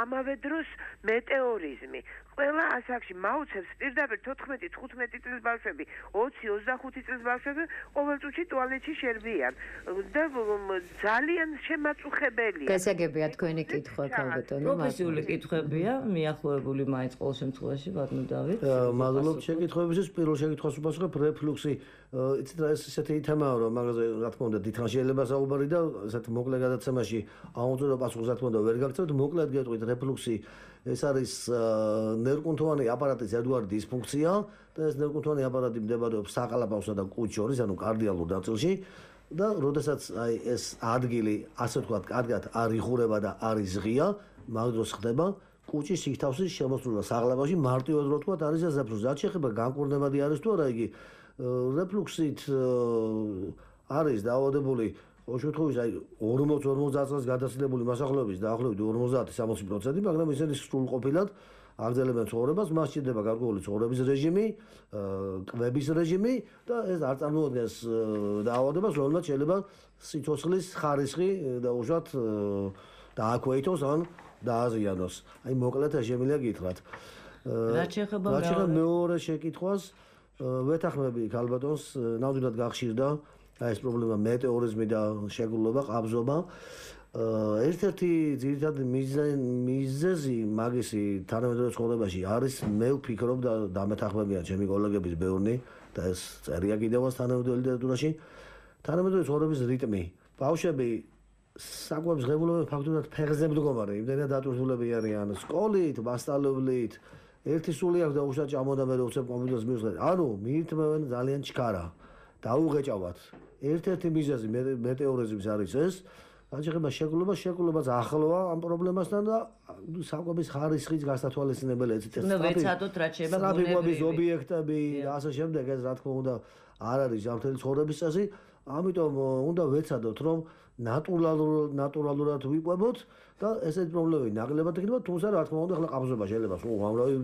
ამავე დროს მეტეორიზმი. ყველა ასაკში მაუცებს პირდაპირ თოთხმეტი თხუთმეტი წლის ბავშვები, ოცი ოცდახუთი წლის ბავშვები ყოველ წუთში ტუალეტში შერბიან და ძალიან შემაწუხებელია. გასაგებია თქვენი კითხვა ქალბატონო. პროფესიული კითხვებია, მიახლოებული მაინც ყოველ შემთხვევაში ბატონო დავით. მადლობთ შეკითხვებისთვის. პირველ შეკითხვას უპასუხებ რეფლუქსი. იცით რა ეს ესეთი თემაა რომ მაგაზე რა თქმა უნდა დიდხანს შეიძლება საუბარი და ესეთ მოკლე გადაცემაში აუწევრო პასუხს რა თქმა უნდა ვერ გაგწევთ. მოკლედ გეტყვით რეფლუქსი ეს არის ნერვკუნთოვანი აპარატის ერთგვარი დისფუნქცია და ეს ნერვკუნთოვანი აპარატი მდებარობს საყალაპავსა და კუჭ შორის, ანუ კარდიალურ ნაწილში და როდესაც აი ეს ადგილი ასე ვთქვათ, კარგად არ იხურება და არ იზღია, მაგ დროს ხდება კუჭის სითავსის შემოსრულება საყალაპავში, მარტივად რო ვთქვათ, არის ზაფხულზე. რაც შეეხება განკურნებადი არის თუ არა იგი რეფლუქსით არის დაავადებული ოშუთხოვის აი ორმოც ორმოცდაათ წელს გადასილებული მასახლეობის დაახლოებით ორმოცდაათი სამოცი პროცენტი, მაგრამ ისინი სრულყოფილად აგრძელებენ ცხოვრებას, მას სჭირდება გარკვეული ცხოვრების რეჟიმი, კვების რეჟიმი და ეს არ წარმოადგენს დაავადებას, რომელმაც შეიძლება სიცოცხლის ხარისხი და უშუალოდ დააქვეითოს ან დააზიანოს. აი მოკლედ შემიძლია გითხრათ. რაც შეეხება მეორე შეკითხვას ვეთანხმები ქალბატონს, ნამდვილად გახშირდა აი ეს პრობლემა მეტეორიზმი და შეგრულობა, ყაბზობა. ერთ-ერთი ძირითადი მიზეზი მაგისი თანამედროვე ცხოვრებაში არის, მე ვფიქრობ და დამეთანხმებიან ჩემი კოლეგების ბევრნი და ეს წერია კიდევაც თანამედროვე ლიტერატურაში, თანამედროვე ცხოვრების რიტმი. ბავშვები საკვებს ღებულობენ ფაქტურად ფეხზე მდგომარე, იმდენად დატვირთულები არიან სკოლით, მასწავლებლით. ერთი სული აქვს და უშუალოდ ჭამოდა მე როცა კომპიუტერს მივსვენ. ანუ მიირთმევენ ძალიან ჩქარა. დაუღეჭავათ. ერთ-ერთი მიზეზი მეტეორიზმის არის ეს. რაც შეეხება შეკრულებას, შეკრულებაც ახლოა ამ პრობლემასთან და საკვების ხარისხის გასათვალისწინებელი ეცეთ ეს. ნუ ვეცადოთ რაც შეეხება ბუნებრივი ობიექტები და ასე შემდეგ, ეს რა თქმა უნდა არ არის ჯანმრთელი ცხოვრების წესი. ამიტომ უნდა ვეცადოთ რომ ნატურალურად ნატურალურად ვიყვებოთ და ესეთი პრობლემები ნაკლებად იქნება, თუმცა რა თქმა უნდა ახლა ყაბზობა შეიძლება სულ ამრავი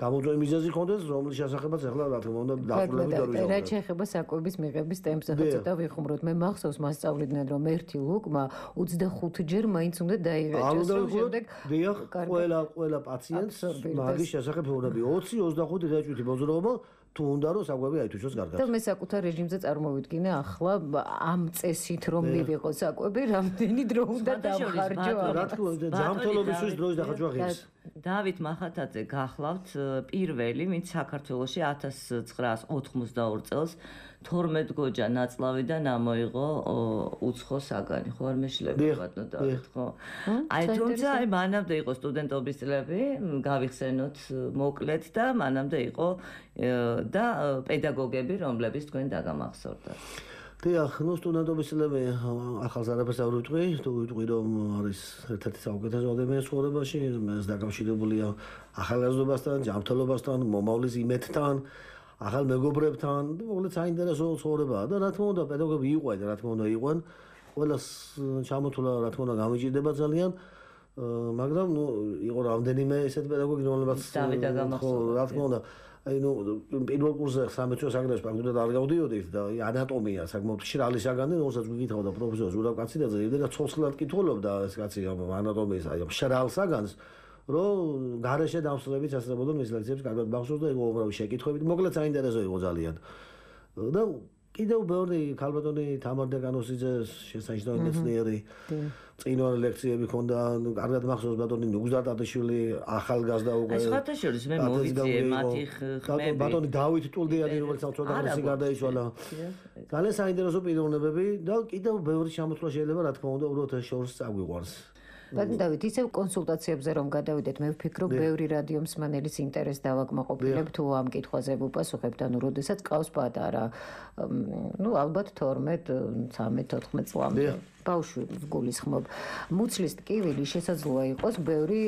გამოწვეული მიზეზი ქონდეს, რომლის შესახებაც ახლა რა თქმა უნდა დაახლოებით არ ვიზამთრებთ. რაც შეეხება საკვების მიღების ტემპზე ცოტა ვიხუმროთ. მე მახსოვს მას სწავლიდნენ რომ ერთი ლუკმა ოცდახუთჯერ მაინც უნდა დაიღეჭოს. შემდეგ დიახ, ყველა ყველა პაციენტს მაგის შესახებ ეუბნები ოცი ოცდახუთი ღეჭვითი მოძრაობა თუ უნდა რომ საკვები აითვისოს კარგად. და მე საკუთარ რეჟიმზე წარმოვიდგინე ახლა ამ წესით რომ მივიღო საკვები, რამდენი დრო უნდა დავხარჯო. რა თქმა უნდა, ჯანმრთელობისთვის დროის დახარჯვა ღირს. დავით მახათაძე გახლავთ პირველი, ვინც საქართველოში ათას ცხრაას ოთხმოცდაორი წელს თორმეტ გოჯა ნაწლავიდან ამოიღო უცხო საგანი, ხო არ მეშლები ბატონო დავით, ხო? აი თუმცა აი მანამდე იყო სტუდენტობის წლები, გავიხსენოთ მოკლედ და მანამდე იყო და პედაგოგები, რომლებიც თქვენ დაგამახსოვრდათ. დიახ, ნუ სტუდენტობის წლები ახალს არაფერს არ ვიტყვი, თუ ვიტყვი რომ არის ერთ-ერთი საუკეთესო ადამიანის ცხოვრებაში, ეს დაკავშირებულია ახალგაზრდობასთან, ჯანმრთელობასთან, მომავლის იმედთან, ახალ მეგობრებთან, მოკლედ საინტერესო ცხოვრებაა და რა თქმა უნდა პედაგოგები იყვნენ, რა თქმა უნდა იყვნენ, ყველას ჩამოთვლა რა თქმა უნდა გამიჭირდება ძალიან, მაგრამ ნუ იყო რამდენიმე ესეთ პედაგოგი, რომლებიც ხო რა თქმა უნდა აი ნუ პირველ კურსზე სამეცნიერო საგანებში ფაქტობრივად არ გავდიოდით და ანატომია საკმაოდ მშრალი საგანი, რომელსაც გიკითხავდა პროფესორ ზურაბ კაცინაძე, იმდენად ცოცხლად კითხულობდა ეს კაცი ანატომიის აი მშრალ საგანს, რომ გარეშე დამსწრებით ასწრებოდა მის ლექციებს კარგად მახსოვს და იყო უბრალოდ შეკითხვებით, მოკლედ საინტერესო იყო ძალიან. და კიდევ ბევრი ქალბატონი თამარ დეკანოსიძეს შესანიშნავი მეცნიერი წინვარი ლექციები ქონდა, კარგად მახსოვს ბატონი ნუგზარ ტატიშვილი, ახალგაზრდა უკვე. ეს ხათაშორის მე მოვიწიე მათი ხმები. ბატონი დავით ტულდიანი, რომელიც ცოტა ხანი გარდაიცვალა. ძალიან საინტერესო პიროვნებები და კიდევ ბევრი შემოთვლა შეიძლება რა თქმა უნდა უბრალოდ ეს შორს წაგვიყვანს. ბატონ დავით, ისევ კონსულტაციებზე რომ გადავიდეთ, მე ვფიქრობ, ბევრი რადიო მსმენელის ინტერესს დავაკმაყოფილებ თუ ამ კითხვაზე ვუპასუხებთ, ანუ როდესაც ყავს პატარა, ну, ალბათ თორმეტ, ცამეტ, ოთხმეტ წლამდე. ბავშვი გულისხმობ. მუცლის ტკივილი შესაძლოა იყოს ბევრი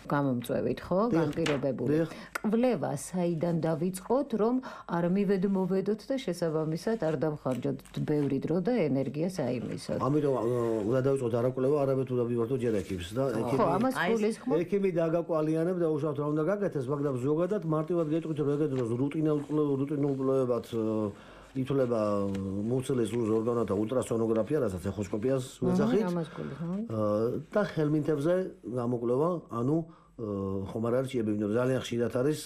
გამომწვევით, ხო? განპირობებული. კვლევა საიდან დავიწყოთ, რომ არ მივედმოვედოთ და შესაბამისად არ დამხარჯოთ ბევრი დრო და ენერგია საიმისოდ. ამიტომ უნდა დავიწყოთ არა კვლევა, არამედ უნდა ვივართოთ ჯერექიმს და ხო, ამას გულისხმობ. ექიმი დაგაკვალიანებ და უშავთ რა უნდა გაკეთდეს, მაგრამ ზოგადად მარტივად გეტყვით რომ ეგეთ დროს რუტინულ რუტინულ კვლევებად ითვლება მუცლის ორგანოთა ულტრასონოგრაფია, რასაც ეხოსკოპიას ვეძახით. და ხელმინთებზე გამოკვლევა, ანუ ხომ არ არის ჭიები, იმიტომ ძალიან ხშირად არის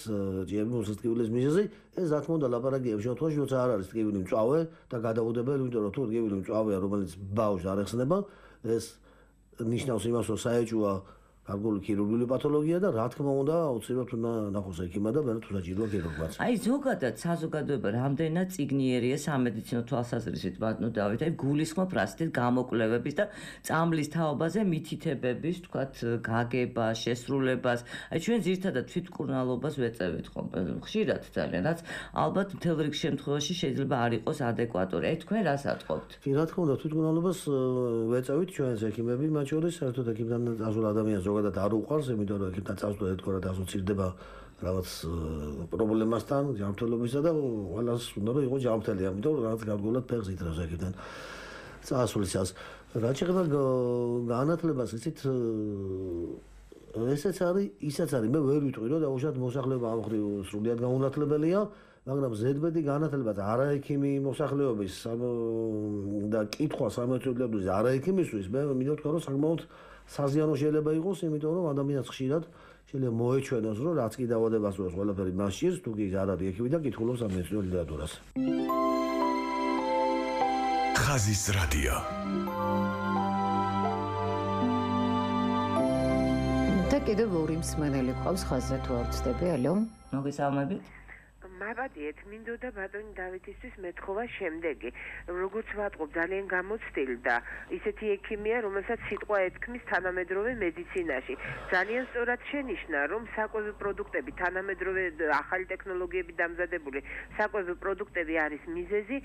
ჭიები მუცლის ტკივილის მიზეზი. ეს რა თქმა უნდა ლაპარაკია შემთხვევაში, როცა არ არის ტკივილი მწვავე და გადაუდებელი, იმიტომ რომ თუ ტკივილი მწვავეა, რომელიც ბავშვს არ ეხსნება, ეს ნიშნავს იმას, რომ საეჭვოა გარკვეული ქირურგიული პათოლოგია და რა თქმა უნდა აუცილებლად უნდა ნახოს ექიმა და მერე თუ საჭიროა ქირურგმაც. აი ზოგადად საზოგადოება რამდენად წიგნიერია სამედიცინო თვალსაზრისით ბატონო დავით, აი გულისხმობ რა სწით გამოკვლევების და წამლის თაობაზე მითითებების, თქვათ, გაგება, შესრულებას. აი ჩვენ ძირითადად თვითმკურნალობას ვეწევით ხომ ხშირად ძალიან, რაც ალბათ მთელ რიგ შემთხვევაში შეიძლება არ იყოს ადეკვატური. აი თქვენ რას ატყობთ? კი, რა თქმა უნდა, თვითმკურნალობას ვეწევით ჩვენს ექიმები, მათ შორის საერთოდ ექიმთან დაზულ ადამიანს ზოგადად არ უყვარს, იმიტომ რომ ექიმთან წავსდა ერთგვარად ასოცირდება რაღაც პრობლემასთან, ჯანმრთელობისა და ყველას უნდა რომ იყოს ჯანმრთელი, ამიტომ რაღაც გარკვეულად ფეხს ითრავს ექიმთან წასვლისას. რაც შეეხება განათლებას, იცით, ესეც არის, ისაც არის, მე ვერ ვიტყვი რომ დაუშვათ მოსახლეობა ამ ხრივ სრულიად გაუნათლებელია, მაგრამ ზედმეტი განათლება არა ექიმი მოსახლეობის და კითხვა სამეცნიერო არა ექიმისთვის, მე მინდა ვთქვა რომ საკმაოდ საზიანო შეიძლება იყოს, იმიტომ რომ ადამიანს ხშირად შეიძლება მოეჩვენოს, რომ რაც კი დაავადებას უყურებს, ყველაფერი მას ჭირს, თუ კი არ არის ექიმი და კითხულობს სამეცნიერო ლიტერატურას. ხაზის რადიო. და კიდევ ორი მსმენელი ყავს ხაზზე თუ არ ვცდები, ალო? მოგესალმებით. მაბადიეთ, მინდოდა ბატონი დავითისთვის მეთხოვა შემდეგი. როგორც ვატყობ, ძალიან გამოცდილი და ისეთი ექიმია, რომელსაც სიტყვა ეთქმის თანამედროვე მედიცინაში. ძალიან სწორად შენიშნა, რომ საკვები პროდუქტები, თანამედროვე ახალი ტექნოლოგიებით დამზადებული საკვები პროდუქტები არის მიზეზი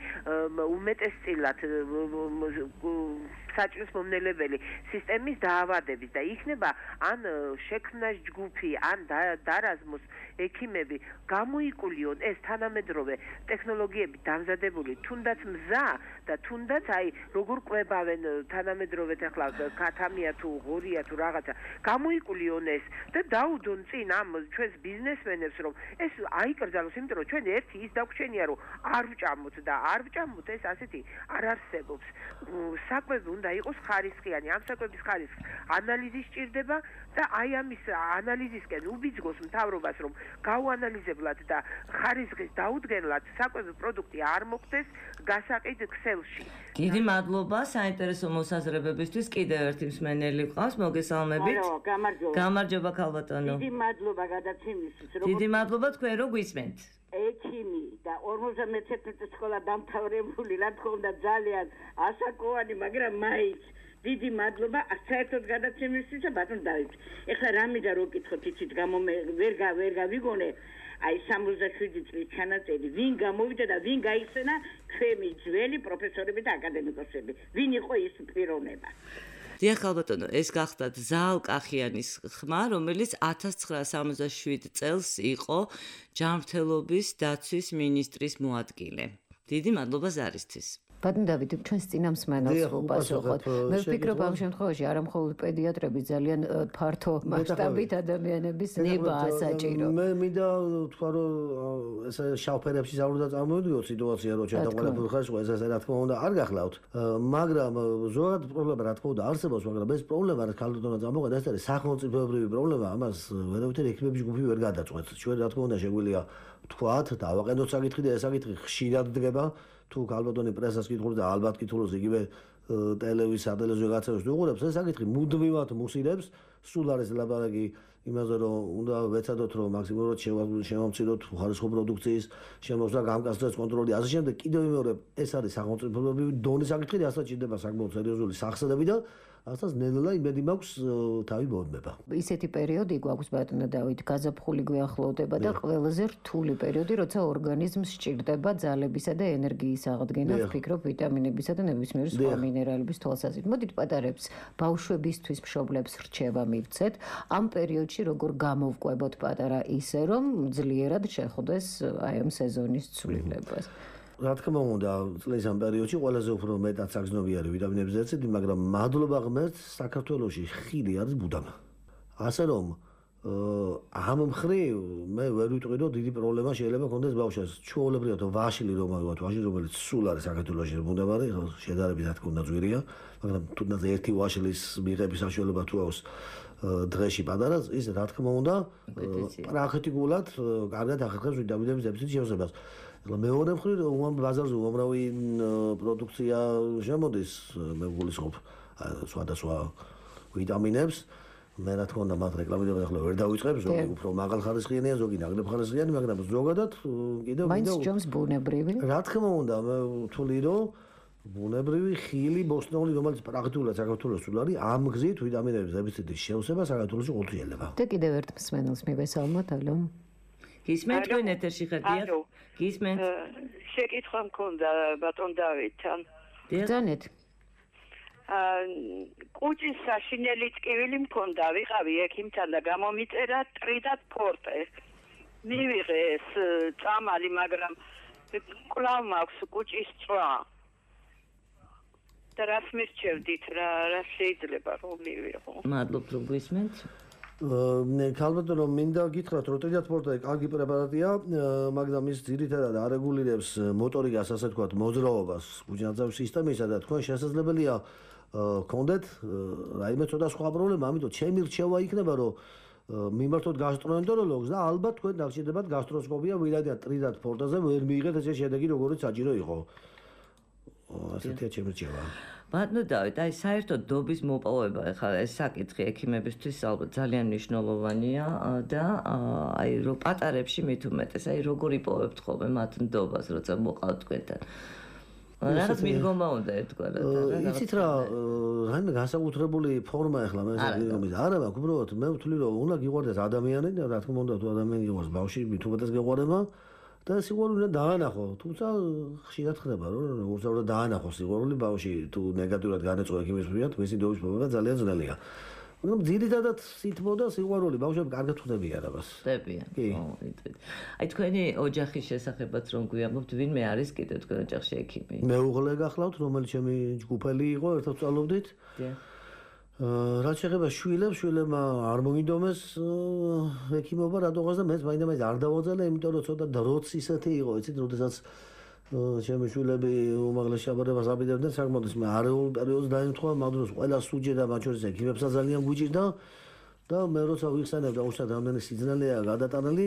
უმეტესწილად საჭმლის მომნელებელი სისტემის დაავადების და იქნება ან შექმნას ჯგუფი, ან დარაზმოს ექიმები გამოიკულიონ ეს თანამედროვე ტექნოლოგიებით დამზადებული თუნდაც მზა და თუნდაც აი როგორ ყვებავენ თანამედროვეთ ახლა კათამია თუ ღორია თუ რაღაცა გამოიკულიონ ეს და დაუდონ წინ ამ ჩვენს ბიზნესმენებს რომ ეს აიკრძალოს, იმიტომ რომ ჩვენ ერთი ის დაგვრჩენია რომ არ ვჭამოთ და არ ვჭამოთ ეს ასეთი არ არსებობს. საკვები უნდა იყოს ხარისხიანი, ამ საკვების ხარისხს ანალიზი სჭირდება და აი ამის ანალიზისკენ უბიძგოს მთავრობას რომ გაუანალიზებლად და ხარისხის დაუდგენლად საკვები პროდუქტი არ მოხდეს გასაყიდ ქსელში. დიდი მადლობა საინტერესო მოსაზრებებისთვის. კიდევ ერთი მსმენელი ყავს, მოგესალმებით. ალო, გამარჯობა. გამარჯობა ქალბატონო. დიდი მადლობა გადაცემისთვის. დიდი მადლობა, თქვენ რო გვისმენთ. ექიმი და ორმოცდამეცხრამეტე სკოლა დამთავრებული, რა თქმა უნდა ძალიან ასაკოვანი, მაგრამ მაინც დიდი მადლობა საერთოდ გადაცემისთვის და ბატონ დავით. ეხლა რა მინდა რო გკითხოთ, იცით, გამო ვერ ვერ გავიგონე აი სამოცდაშვიდი წლის ჩანაწერი, ვინ გამოვიდა და ვინ გაიხსენა ჩვენი ძველი პროფესორები და აკადემიკოსები. ვინ იყო ის პიროვნება? დიახ ქალბატონო, ეს გახდათ ზაალკახიანის ხმა, რომელიც ათას ცხრაასა სამოცდაშვიდ წელს იყო ჯანმრთელობის დაცვის მინისტრის მოადგილე. დიდი მადლობა ზარისთვის. ბატონ დავით, ჩვენს წინა მსმენელს უპასუხოთ. მე ვფიქრობ ამ შემთხვევაში არა მხოლოდ პედიატრები, ძალიან ფართო მასშტაბით ადამიანების ნებაა საჭირო. მე მინდა თქვა რომ ეს შავფერებში არ უნდა წარმოვიდგინოთ სიტუაცია, რომ ჩვენ და ყველაფერი ხარისხვა ეს რა თქმა უნდა არ გახლავთ. მაგრამ ზოგადად პრობლემა რა თქმა უნდა არსებობს, მაგრამ ეს პრობლემა რაც ქალბატონმა წამოყენა, ეს არის სახელმწიფოებრივი პრობლემა, ამას ვერავითარ ექიმების ჯგუფი ვერ გადაწყვეტს. ჩვენ რა თქმა უნდა შეგვიძლია თქვათ და ავაყენოთ საკითხი და ეს საკითხი ხშირად დგება. თუ ქალბატონი პრესას კითხულობს და ალბათ კითხულობს იგივე ტელევიზია, სატელევიზიო გაცემებს უყურებს, ეს საკითხი მუდმივად მუსილებს სულ არის ლაბარაკი იმაზე რომ უნდა ვეცადოთ რომ მაქსიმალურად შევამციროთ ხარისხო პროდუქციის შემოსვლა, გამკაცრდეს კონტროლი, ასე შემდეგ. კიდევ მეორე ეს არის სახელმწიფოებრივი დონის საკითხი, რასაც ჭირდება საკმაოდ სერიოზული სახსრები და რასაც ნელ-ნელა იმედი მაქვს თავი მოოდმება. ისეთი პერიოდი გვაქვს ბატონო დავით, გაზაფხული გვიახლოვდება და ყველაზე რთული პერიოდი, როცა ორგანიზმს სჭირდება ძალებისა და ენერგიის აღდგენა, ვფიქრობ ვიტამინებისა და ნებისმიერი სხვა მინერალების თვალსაზრისით. მოდით პატარებს ბავშვებისთვის მშობლებს რჩევა მივცეთ, ამ პერიოდში როგორ გამოვკვებოთ პატარა ისე რომ ძლიერად შეხვდეს აი ამ სეზონის ცვლილებას. რა თქმა უნდა, წლის ამ პერიოდში ყველაზე უფრო მეტად საგრძნობიარე ვიტამინების დეფიციტი, მაგრამ მადლობა ღმერთს, საქართველოში ხილი არის ბუდამა. ასე რომ ამ მხრივ მე ვერ ვიტყვი რომ დიდი პრობლემა შეიძლება ქონდეს ბავშვებს. ჩვეულებრივად ვაშლი რომ ავიღოთ, ვაშლი რომელიც სულ არის საქართველოში ბუდამარი, შედარებით რა თქმა უნდა ძვირია, მაგრამ თუნდაც ერთი ვაშლის მიღების საშუალება თუ აქვს დღეში პატარა, ის რა თქმა უნდა პრაქტიკულად კარგად ახერხებს ვიტამინების დეფიციტის შესაძლებლობას. მეორე მხრივ რომ ბაზარზე უამრავი პროდუქცია შემოდის, მე ვგულისხმობ სხვადასხვა ვიტამინებს. მე რა თქმა უნდა მათ რეკლამირებას ახლა ვერ დავიწყებ, ზოგი უფრო მაღალხარისხიანია, ზოგი ნაკლებ ხარისხიანი, მაგრამ ზოგადად კიდევ მაინც ჯობს ბუნებრივი. რა თქმა უნდა, მე ვთვლი რომ ბუნებრივი ხილი ბოსტნეული, რომელიც პრაქტიკულად საქართველოს სულ არის, ამ გზით ვიტამინების დეფიციტის შევსება საქართველოში ყოველთვის შეიძლება. და კიდევ ერთ მსმენელს მივესალმოთ, ალო. გისმენთ თქვენ ეთერში ხარდია? გისმენთ? შეკითხვა მქონდა ბატონ დავითთან. ბრძანეთ. აა კუჭის საშინელი ტკივილი მქონდა, ვიყავი ექიმთან და გამომიწერა ტრიდად ფორტე. მივიღე ეს წამალი, მაგრამ კვლავ მაქვს კუჭის წვა. და რას მირჩევდით, რა რა შეიძლება რომ მივიღო? მადლობ რომ გვისმენთ. ქალბატონო რომ მინდა გითხრათ რომ ტრიდად ფორტე კარგი პრეპარატია, მაგრამ ის ძირითადად არეგულირებს მოტორიკას, ასე ვთქვათ, მოძრაობას გუჯანაძავის სისტემისა და თქვენ შესაძლებელია გქონდეთ რაიმე ცოტა სხვა პრობლემა, ამიტომ ჩემი რჩევა იქნება რომ მიმართოთ გასტროენტეროლოგს და ალბათ თქვენ დაგჭირდებათ გასტროსკოპია, ვირადია ტრიდად ფორტეზე ვერ მიიღეთ ესე შედეგი როგორც საჭირო იყო. ასეთია ჩემი რჩევა. ბატონო დავით, აი საერთოდ დობის მოპოვება ეხლა ეს საკითხი ექიმებისთვის ალბათ ძალიან მნიშვნელოვანია და აი რო პატარებში მით უმეტეს, აი როგორ იპოვებთ ხოლმე მათ ნდობას, როცა მოყავთ თქვენთან. რაღაც მიდგომა უნდა ერთგვარად. იცით რა, რაიმე განსაკუთრებული ფორმა ეხლა მე ზოგადად არა მაქვს, უბრალოდ მე ვთვლი რომ უნდა გიყვარდეს ადამიანი და რა თქმა უნდა თუ ადამიანი გიყვარს ბავშვი, მით უმეტეს გეყვარება. და სიყვარული უნდა დაანახო, თუმცა ხშირად ხდება რომ უბრალოდ დაანახო სიყვარული ბავშვი თუ ნეგატიურად განეწყვეტ ექიმის მიერ, მისი დობის მოპოვება ძალიან ძნელია. მაგრამ ძირითადად სითბო და სიყვარული ბავშვები კარგად ხდებიან ამას. ხდებიან. ო, იტყვით. აი თქვენი ოჯახის შესახებაც რომ გვიამბობთ, ვინმე არის კიდევ თქვენ ოჯახში ექიმი? მეუღლე გახლავთ, რომელიც ჩემი ჯგუფელი იყო, ერთად ვწავლობდით. დიახ. რაც შეეხება შვილებს, შვილებმა არ მოინდომეს ექიმობა რატოღაც და მეც მაინდა-მაინც არ დავაძალე, იმიტომ რომ ცოტა დროც ისეთი იყო, იცით, როდესაც ჩემი შვილები უმაღლეს შაბადებას აპირებდნენ, საკმაოდ ის მე არეულ პერიოდს დაემთხვა, მაგ დროს ყველა სუჯედა, მათ შორის ექიმებსაც ძალიან გვიჭირდა და მე როცა ვიხსენებ და უშუალოდ რამდენი სიძნელეა გადატანილი,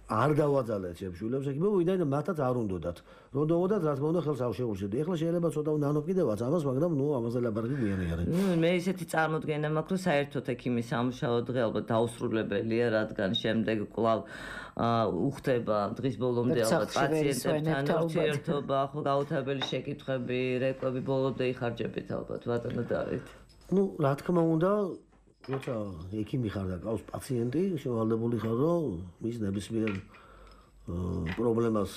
არ დავაძალეთ ჩემ შვილებს ექიმობა, ვიდრე მათაც არ უნდათ. რომ დავოდათ, რა თქმა უნდა, ხელს არ შეურჩევდი. ეხლა შეიძლება ცოტა ნანო კიდევაც ამას, მაგრამ ნუ ამაზე ლაბარაკი გვიანი არის. ნუ მე ისეთი წარმოდგენა მაქვს, რომ საერთოდ ექიმის სამუშაო დღე ალბათ დაუსრულებელია, რადგან შემდეგ კვლავ უხდება დღის ბოლომდე ალბათ პაციენტებთან ურთიერთობა, ხო გაუთავებელი შეკითხვები, რეკვები ბოლომდე იხარჯებით ალბათ, ბატონო დავით. ნუ რა თქმა უნდა როცა ექიმი ხარ და ყავს პაციენტი, შევალდებული ხარ, რომ მის ნებისმიერ პრობლემას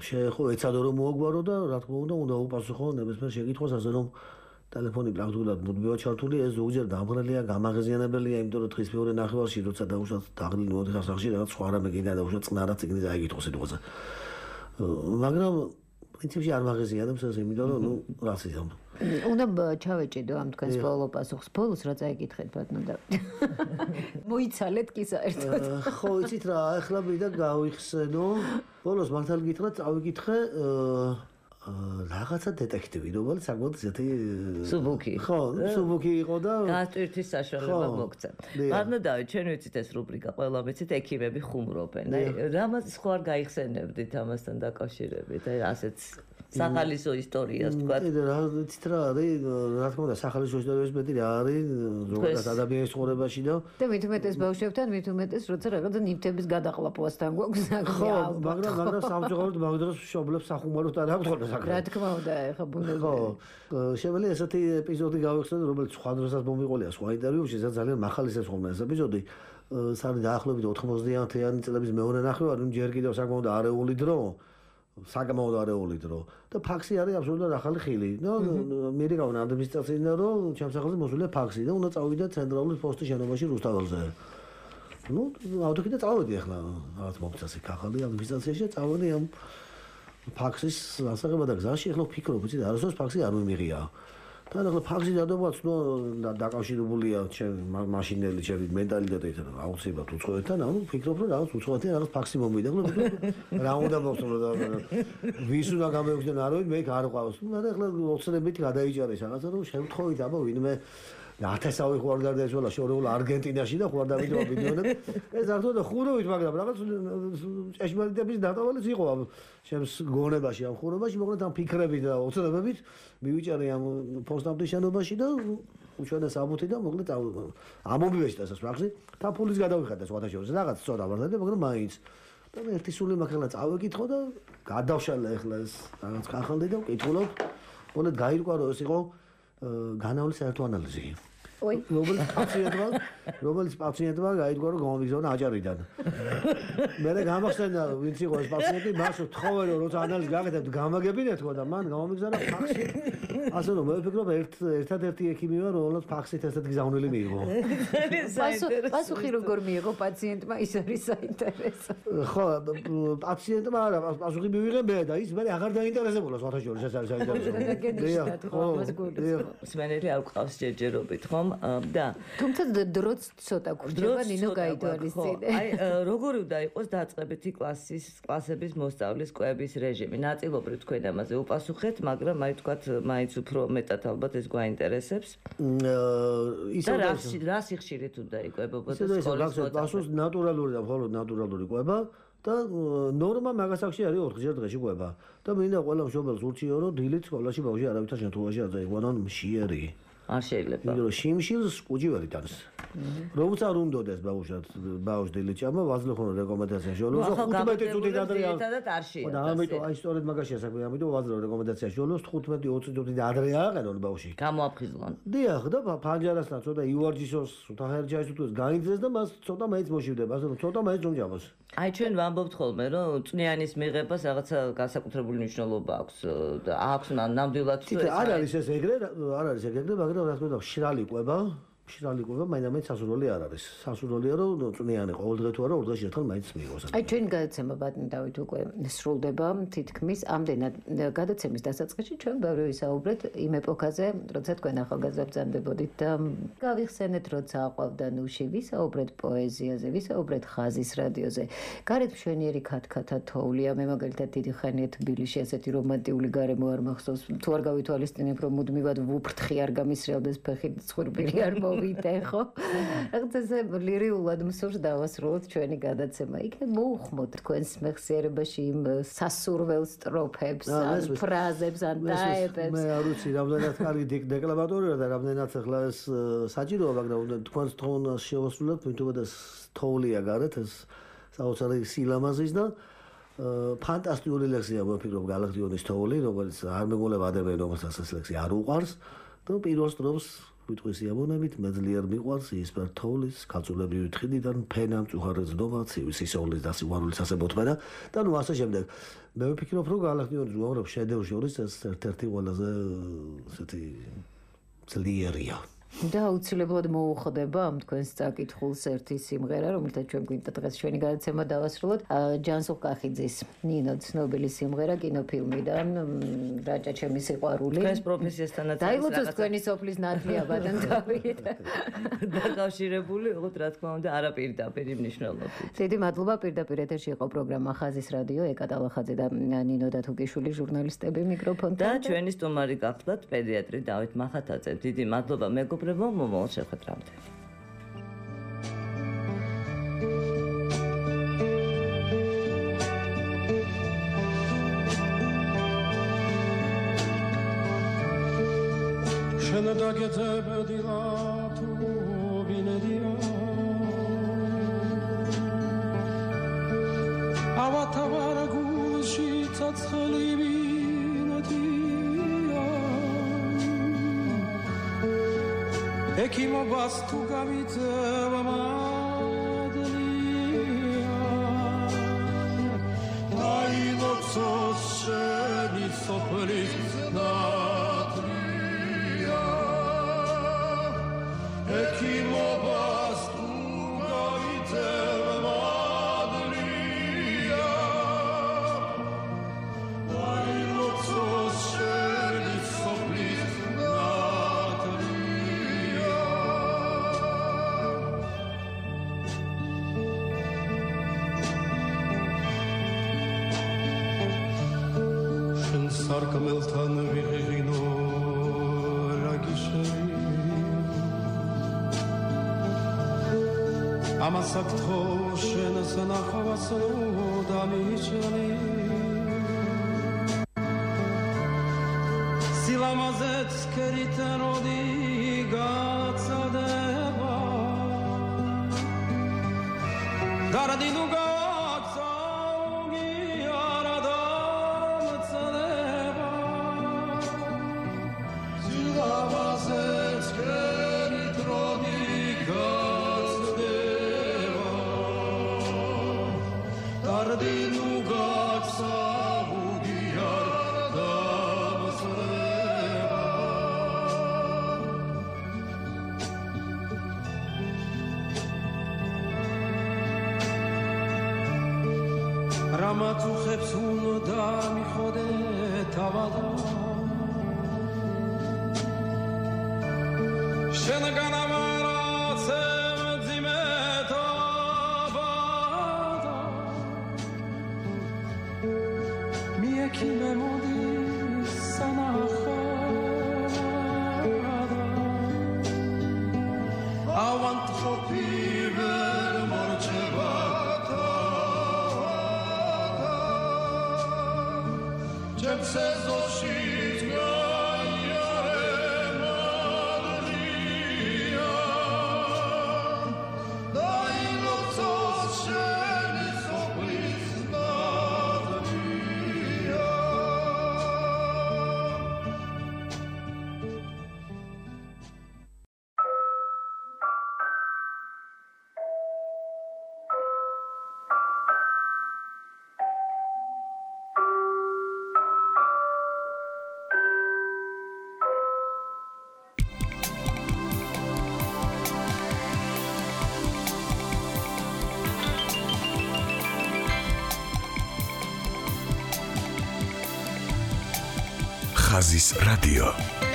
შეეხო, ეცადო რომ მოაგვარო და რა თქმა უნდა, უნდა უპასუხო ნებისმიერ შეკითხვას, ასე რომ ტელეფონი პრაქტიკულად მუდმივად ჩართული, ეს ზოგჯერ დამღრელია, გამაღიზიანებელია, იმიტომ რომ დღის მეორე ნახევარში, როცა დაუშვათ დაღლილი მოდიხარ სახში, რაღაც სხვა რამე გინდა დაუშვათ წყნარად წიგნი წაიგითხო სიტყვაზე. მაგრამ პრინციპში არ მაღიზიანებს ეს, იმიტომ რომ ნუ რას იზამ. უნდა ჩავეჭიდო ამ თქვენს ბოლო პასუხს, ბოლოს რა წაიკითხეთ ბატონო დავით. მოიცალეთ კი საერთოდ. ხო, იცით რა, ახლა მინდა გავიხსენო. ბოლოს მართალ გითხრათ, წავიკითხე რაღაცა დეტექტივი, რომელიც საკმაოდ ისეთი სუბუქი. ხო, სუბუქი იყო და გასტვირთვის საშუალება მოგცა. ბატონო დავით, ჩვენ ვიცით ეს რუბრიკა, ყველა ვიცით ექიმები ხუმრობენ. აი, რამაც სხვა არ გაიხსენებდით ამასთან დაკავშირებით, აი ასეც სახალისო ისტორიას თქვა. კიდე რა იცით რა არის, რა თქმა უნდა, სახალისო ისტორიას მეტი რა არის ზოგადად ადამიანის ცხოვრებაში და და მით უმეტეს ბავშვებთან, მით უმეტეს როცა რაღაცა ნივთების გადაყლაპვასთან გვაქვს საქმე. ხო, მაგრამ მაგრამ სამწუხაროდ მაგდროს მშობლებს სახუმაროთ არ აქვს ხოლმე საქმე. რა თქმა უნდა, ეხა ბუნებრივია. ხო, შემიძლია ესეთი ეპიზოდი გავიხსენოთ, რომელიც სხვა დროსაც მომიყოლია სხვა ინტერვიუში, სადაც ძალიან მახალისებს ხოლმე ეს ეპიზოდი. სარი დაახლოებით ოთხმოცდაათიანი წლების მეორე ნახევარი, ნუ ჯერ კიდევ საკმაოდ არეული დრო, საკმაოდ არეული დრო და ფაქსი არის აბსოლუტურად ახალი ხილი. და მერიკავენ ადმინისტრაციიდან რომ ჩემს სახელზე მოსულია ფაქსი და უნდა წავიდე ცენტრალური პოსტის შენობაში რუსთაველზე. ნუ ავდოქი და წავედი ახლა რაღაც მომწას იქ ახალი ადმინისტრაციაში და წავედი ამ ფაქსის ასაღება და გზაში ახლა ვფიქრობ, იცი, არასდროს ფაქსი არ მიმიღია. და ახლა ფაქსი დადობაც ნუ დაკავშირებულია ჩემი მაშინელი ჩემი მენტალიტეტით აუცილებლად უცხოეთთან, ანუ ვფიქრობ რომ რაღაც უცხოეთთან რაღაც ფაქსი მომიდა, ხო? რა უნდა მოსწრო და ვის უნდა გამეუხდნენ არ ვიცი, მე იქ არ ყავს. მაგრამ ახლა ოცნებით გადაიჭარეს რაღაცა რომ შემთხვევით აბა ვინმე ათასავი ხوار გარდაეცვალა შორეულ არგენტინაში და ხوار დავიდო ბილიონები. ეს არ თქო ხურავით, მაგრამ რაღაც ჭეშმარიტების დატოვალიც იყო ამ ჩემს გონებაში, ამ ხურავაში, მოკლედ ამ ფიქრებით და ოცნებებით მივიჭარე ამ პოსტამტის შენობაში და უშუალოდ საბუთი და მოკლედ ამომივეჭდა ეს ფაქსი. თან ფულის გადავიხადა სხვათა შორის რაღაც ცოტა ვარდა და მაგრამ მაინც და მე ერთი სული მაგალითად წავეკითხო და გადავშალე ახლა ეს რაღაც ხახალდი და ვკითხულობ. მოკლედ გაირკვა რომ ეს იყო განავლის საერთო ანალიზი. ой, რომელიც პაციენტმა, რომელიც პაციენტმა გაიგო რომ გამომიგზავნა აჭარიდან. მე გამახსენდა ვინც იყო ეს პაციენტი, მას თხოვე რომ როცა ანალიზი გაკეთებთ, გამაგებინეთ ხო და მან გამომიგზავნა ფაქსი. ასე რომ მე ვფიქრობ ერთ ერთადერთი ექიმი ვარ, რომელსაც ფაქსით ესეთ გზავნილი მიიღო. პასუხი როგორ მიიღო პაციენტმა, ის არის საინტერესო. ხო, პაციენტმა არა, პასუხი მივიღე მე და ის მე აღარ დაინტერესებულა სხვათა შორის, ეს არის საინტერესო. სმენელი არ ყავს ჯერჯერობით, ხო? და თუმცა დროც ცოტა გურჯება ნინო გაიდვალისწინე. აი როგორი უნდა იყოს დაწყებითი კლასის კლასების მოსწავლის კვების რეჟიმი? ნაწილობრივ თქვენ ამაზე უპასუხეთ, მაგრამ აი თქვათ მაინც უფრო მეტად ალბათ ეს გვაინტერესებს. და რა რა სიხშირით უნდა იკვებებოდეს სკოლის მოსწავლე? ნატურალური და მხოლოდ ნატურალური კვება და ნორმა მაგასაკში არის ოთხჯერ დღეში კვება. და მინდა ყველა მშობელს ურჩიო რომ დილით სკოლაში ბავშვი არავითარ შემთხვევაში არ დაიყვანონ მშიერი. არ შეიძლება. იმიტომ რომ შიმშილს კუჯი ვერ იტანს. როგორც არ უნდოდეს ბავშვად, ბავშვ დილით ჭამა, ვაზლი ხოლმე რეკომენდაციაში ოლოს ხუთმეტი წუთი დადრია. და ამიტომ აი სწორედ მაგაშია საქმე, ამიტომ ვაზლი რეკომენდაციაში ოლოს ხუთმეტი ოცი წუთი დადრია აყენონ ბავშვი. გამოაფხიზლონ. დიახ, და ფანჯარასთან ცოტა იუარჯისოს, ცოტა ჰერჯაის უთუს გაინძეს და მას ცოტა მაინც მოშივდება, ასე რომ ცოტა მაინც უმჯამოს. აი ჩვენ ვამბობთ ხოლმე რომ წვნიანის მიღებას რაღაცა განსაკუთრებული მნიშვნელობა აქვს და აქვს ნამდვილად ეს არ არის ეს ეგრე, არ არის ეგრე, მაგრამ რა თქმა უნდა, შრალი კვება, შრალი კვება მაინც სასურველი არ არის. სასურველია რომ წვნიანი ყოველდღე თუ არა, ორ დღეში ერთხელ მაინც მიიღოს. აი ჩვენი გადაცემა ბატონ დავით უკვე სრულდება, თითქმის ამდენად გადაცემის დასაწყისში ჩვენ ბევრი ვისაუბრეთ იმ ეპოქაზე, როცა თქვენ ახალგაზრდა ბრძანდებოდით და გავიხსენეთ, როცა აყვავდა ნუში, ვისაუბრეთ პოეზიაზე, ვისაუბრეთ ხაზის რადიოზე. გარეთ მშვენიერი ქათქათა თოვლია, მე მაგალითად დიდი ხანია თბილისში ესეთი რომანტიული გარემო არ მახსოვს, თუ არ გავითვალისწინებ რომ მუდმივად ვუფრთხი არ გამისრევდეს ფეხი ცხვირპირი არ მოვიდე ხო? რაღაცა ლირიულად მსურს დავასრულოთ ჩვენი გადაცემა. იქნებ მოუხმოთ თქვენს მეხსიერებაში იმ სასურველ სტროფებს, ან ფრაზებს, ან დაებებს. მე არ ვიცი, რამდენად კარგი დეკლამატორია და რამდენად ახლა ეს საჭიროა, მაგრამ თქვენს თონას შევასრულოთ, თუმცა ეს თოვლია გარეთ, ეს საოცარი სილამაზის და ფანტასტიკური ლექსია ვფიქრობ გალაქტიონის თოვლი, რომელიც არ მეგონება ადამიანი, რომელსაც ეს ლექსი არ უყვარს და პირველ სტროფს ვიტყვის იაბონებით, მე ძლიერ მიყვარს ისპერ თოვლის, კაცოლებრივი თხიდიდან ფენა მწუხარე ძდობა, ცივი სისოვლის და სიყვარულის ასებოთმენა და ნუ ასე შემდეგ. მე ვფიქრობ, რომ გალაქტიონის უამრავ შედევრ შორის ეს ერთ-ერთი ყველაზე ესეთი ძლიერია. და აუცილებლად მოუხდება ამ თქვენს წაკითხულს ერთი სიმღერა, რომელთა ჩვენ გვინდა დღეს ჩვენი გადაცემა დავასრულოთ. ჯანსუღ კახიძის ნინო ცნობილი სიმღერა კინოფილმიდან რაჭა ჩემი სიყვარული. თქვენს პროფესიასთანაც დაილოცოს თქვენი სოფლის ნათლია ბატონ დავით. დაკავშირებული, ოღონდ რა თქმა უნდა, არა პირდაპირ მნიშვნელობით. დიდი მადლობა, პირდაპირ ეთერში იყო პროგრამა ხაზის რადიო, ეკატალახაძე და ნინო დათუკიშვილი ჟურნალისტები მიკროფონთან. და ჩვენი სტუმარი გახლდათ პედიატრი დავით მახათაძე. დიდი მადლობა მეგობრებო, მომავალ შეხვედრამდე. შენ დაგეძებედილა თუ ბინედია ავათავარ გულში ცოცხალი ბინედია ეკიმობას თუ გამიწევა მადლია დაილოცოს შენი სოფლის ნატრია ეკიმობას თუ გამიწევა მადლია დაილოცოს შენი სოფლის სარკმელთან ვიღიღინო რაგიშები ამასაც თო შენს ნახავას დამიჩნი სილამაზეც კერით როდი გაცადება დარადინუ რამათუხებს უნდა მიხოდე თავადა შენგან ამარაცე ძიმეთაბადა მიეკინე მოდი სანახადა ავანტ ხოფიბერ მორჩება Sezoshi's gaya Maria Dai lotsos sheni soplis Maria ხაზის რადიო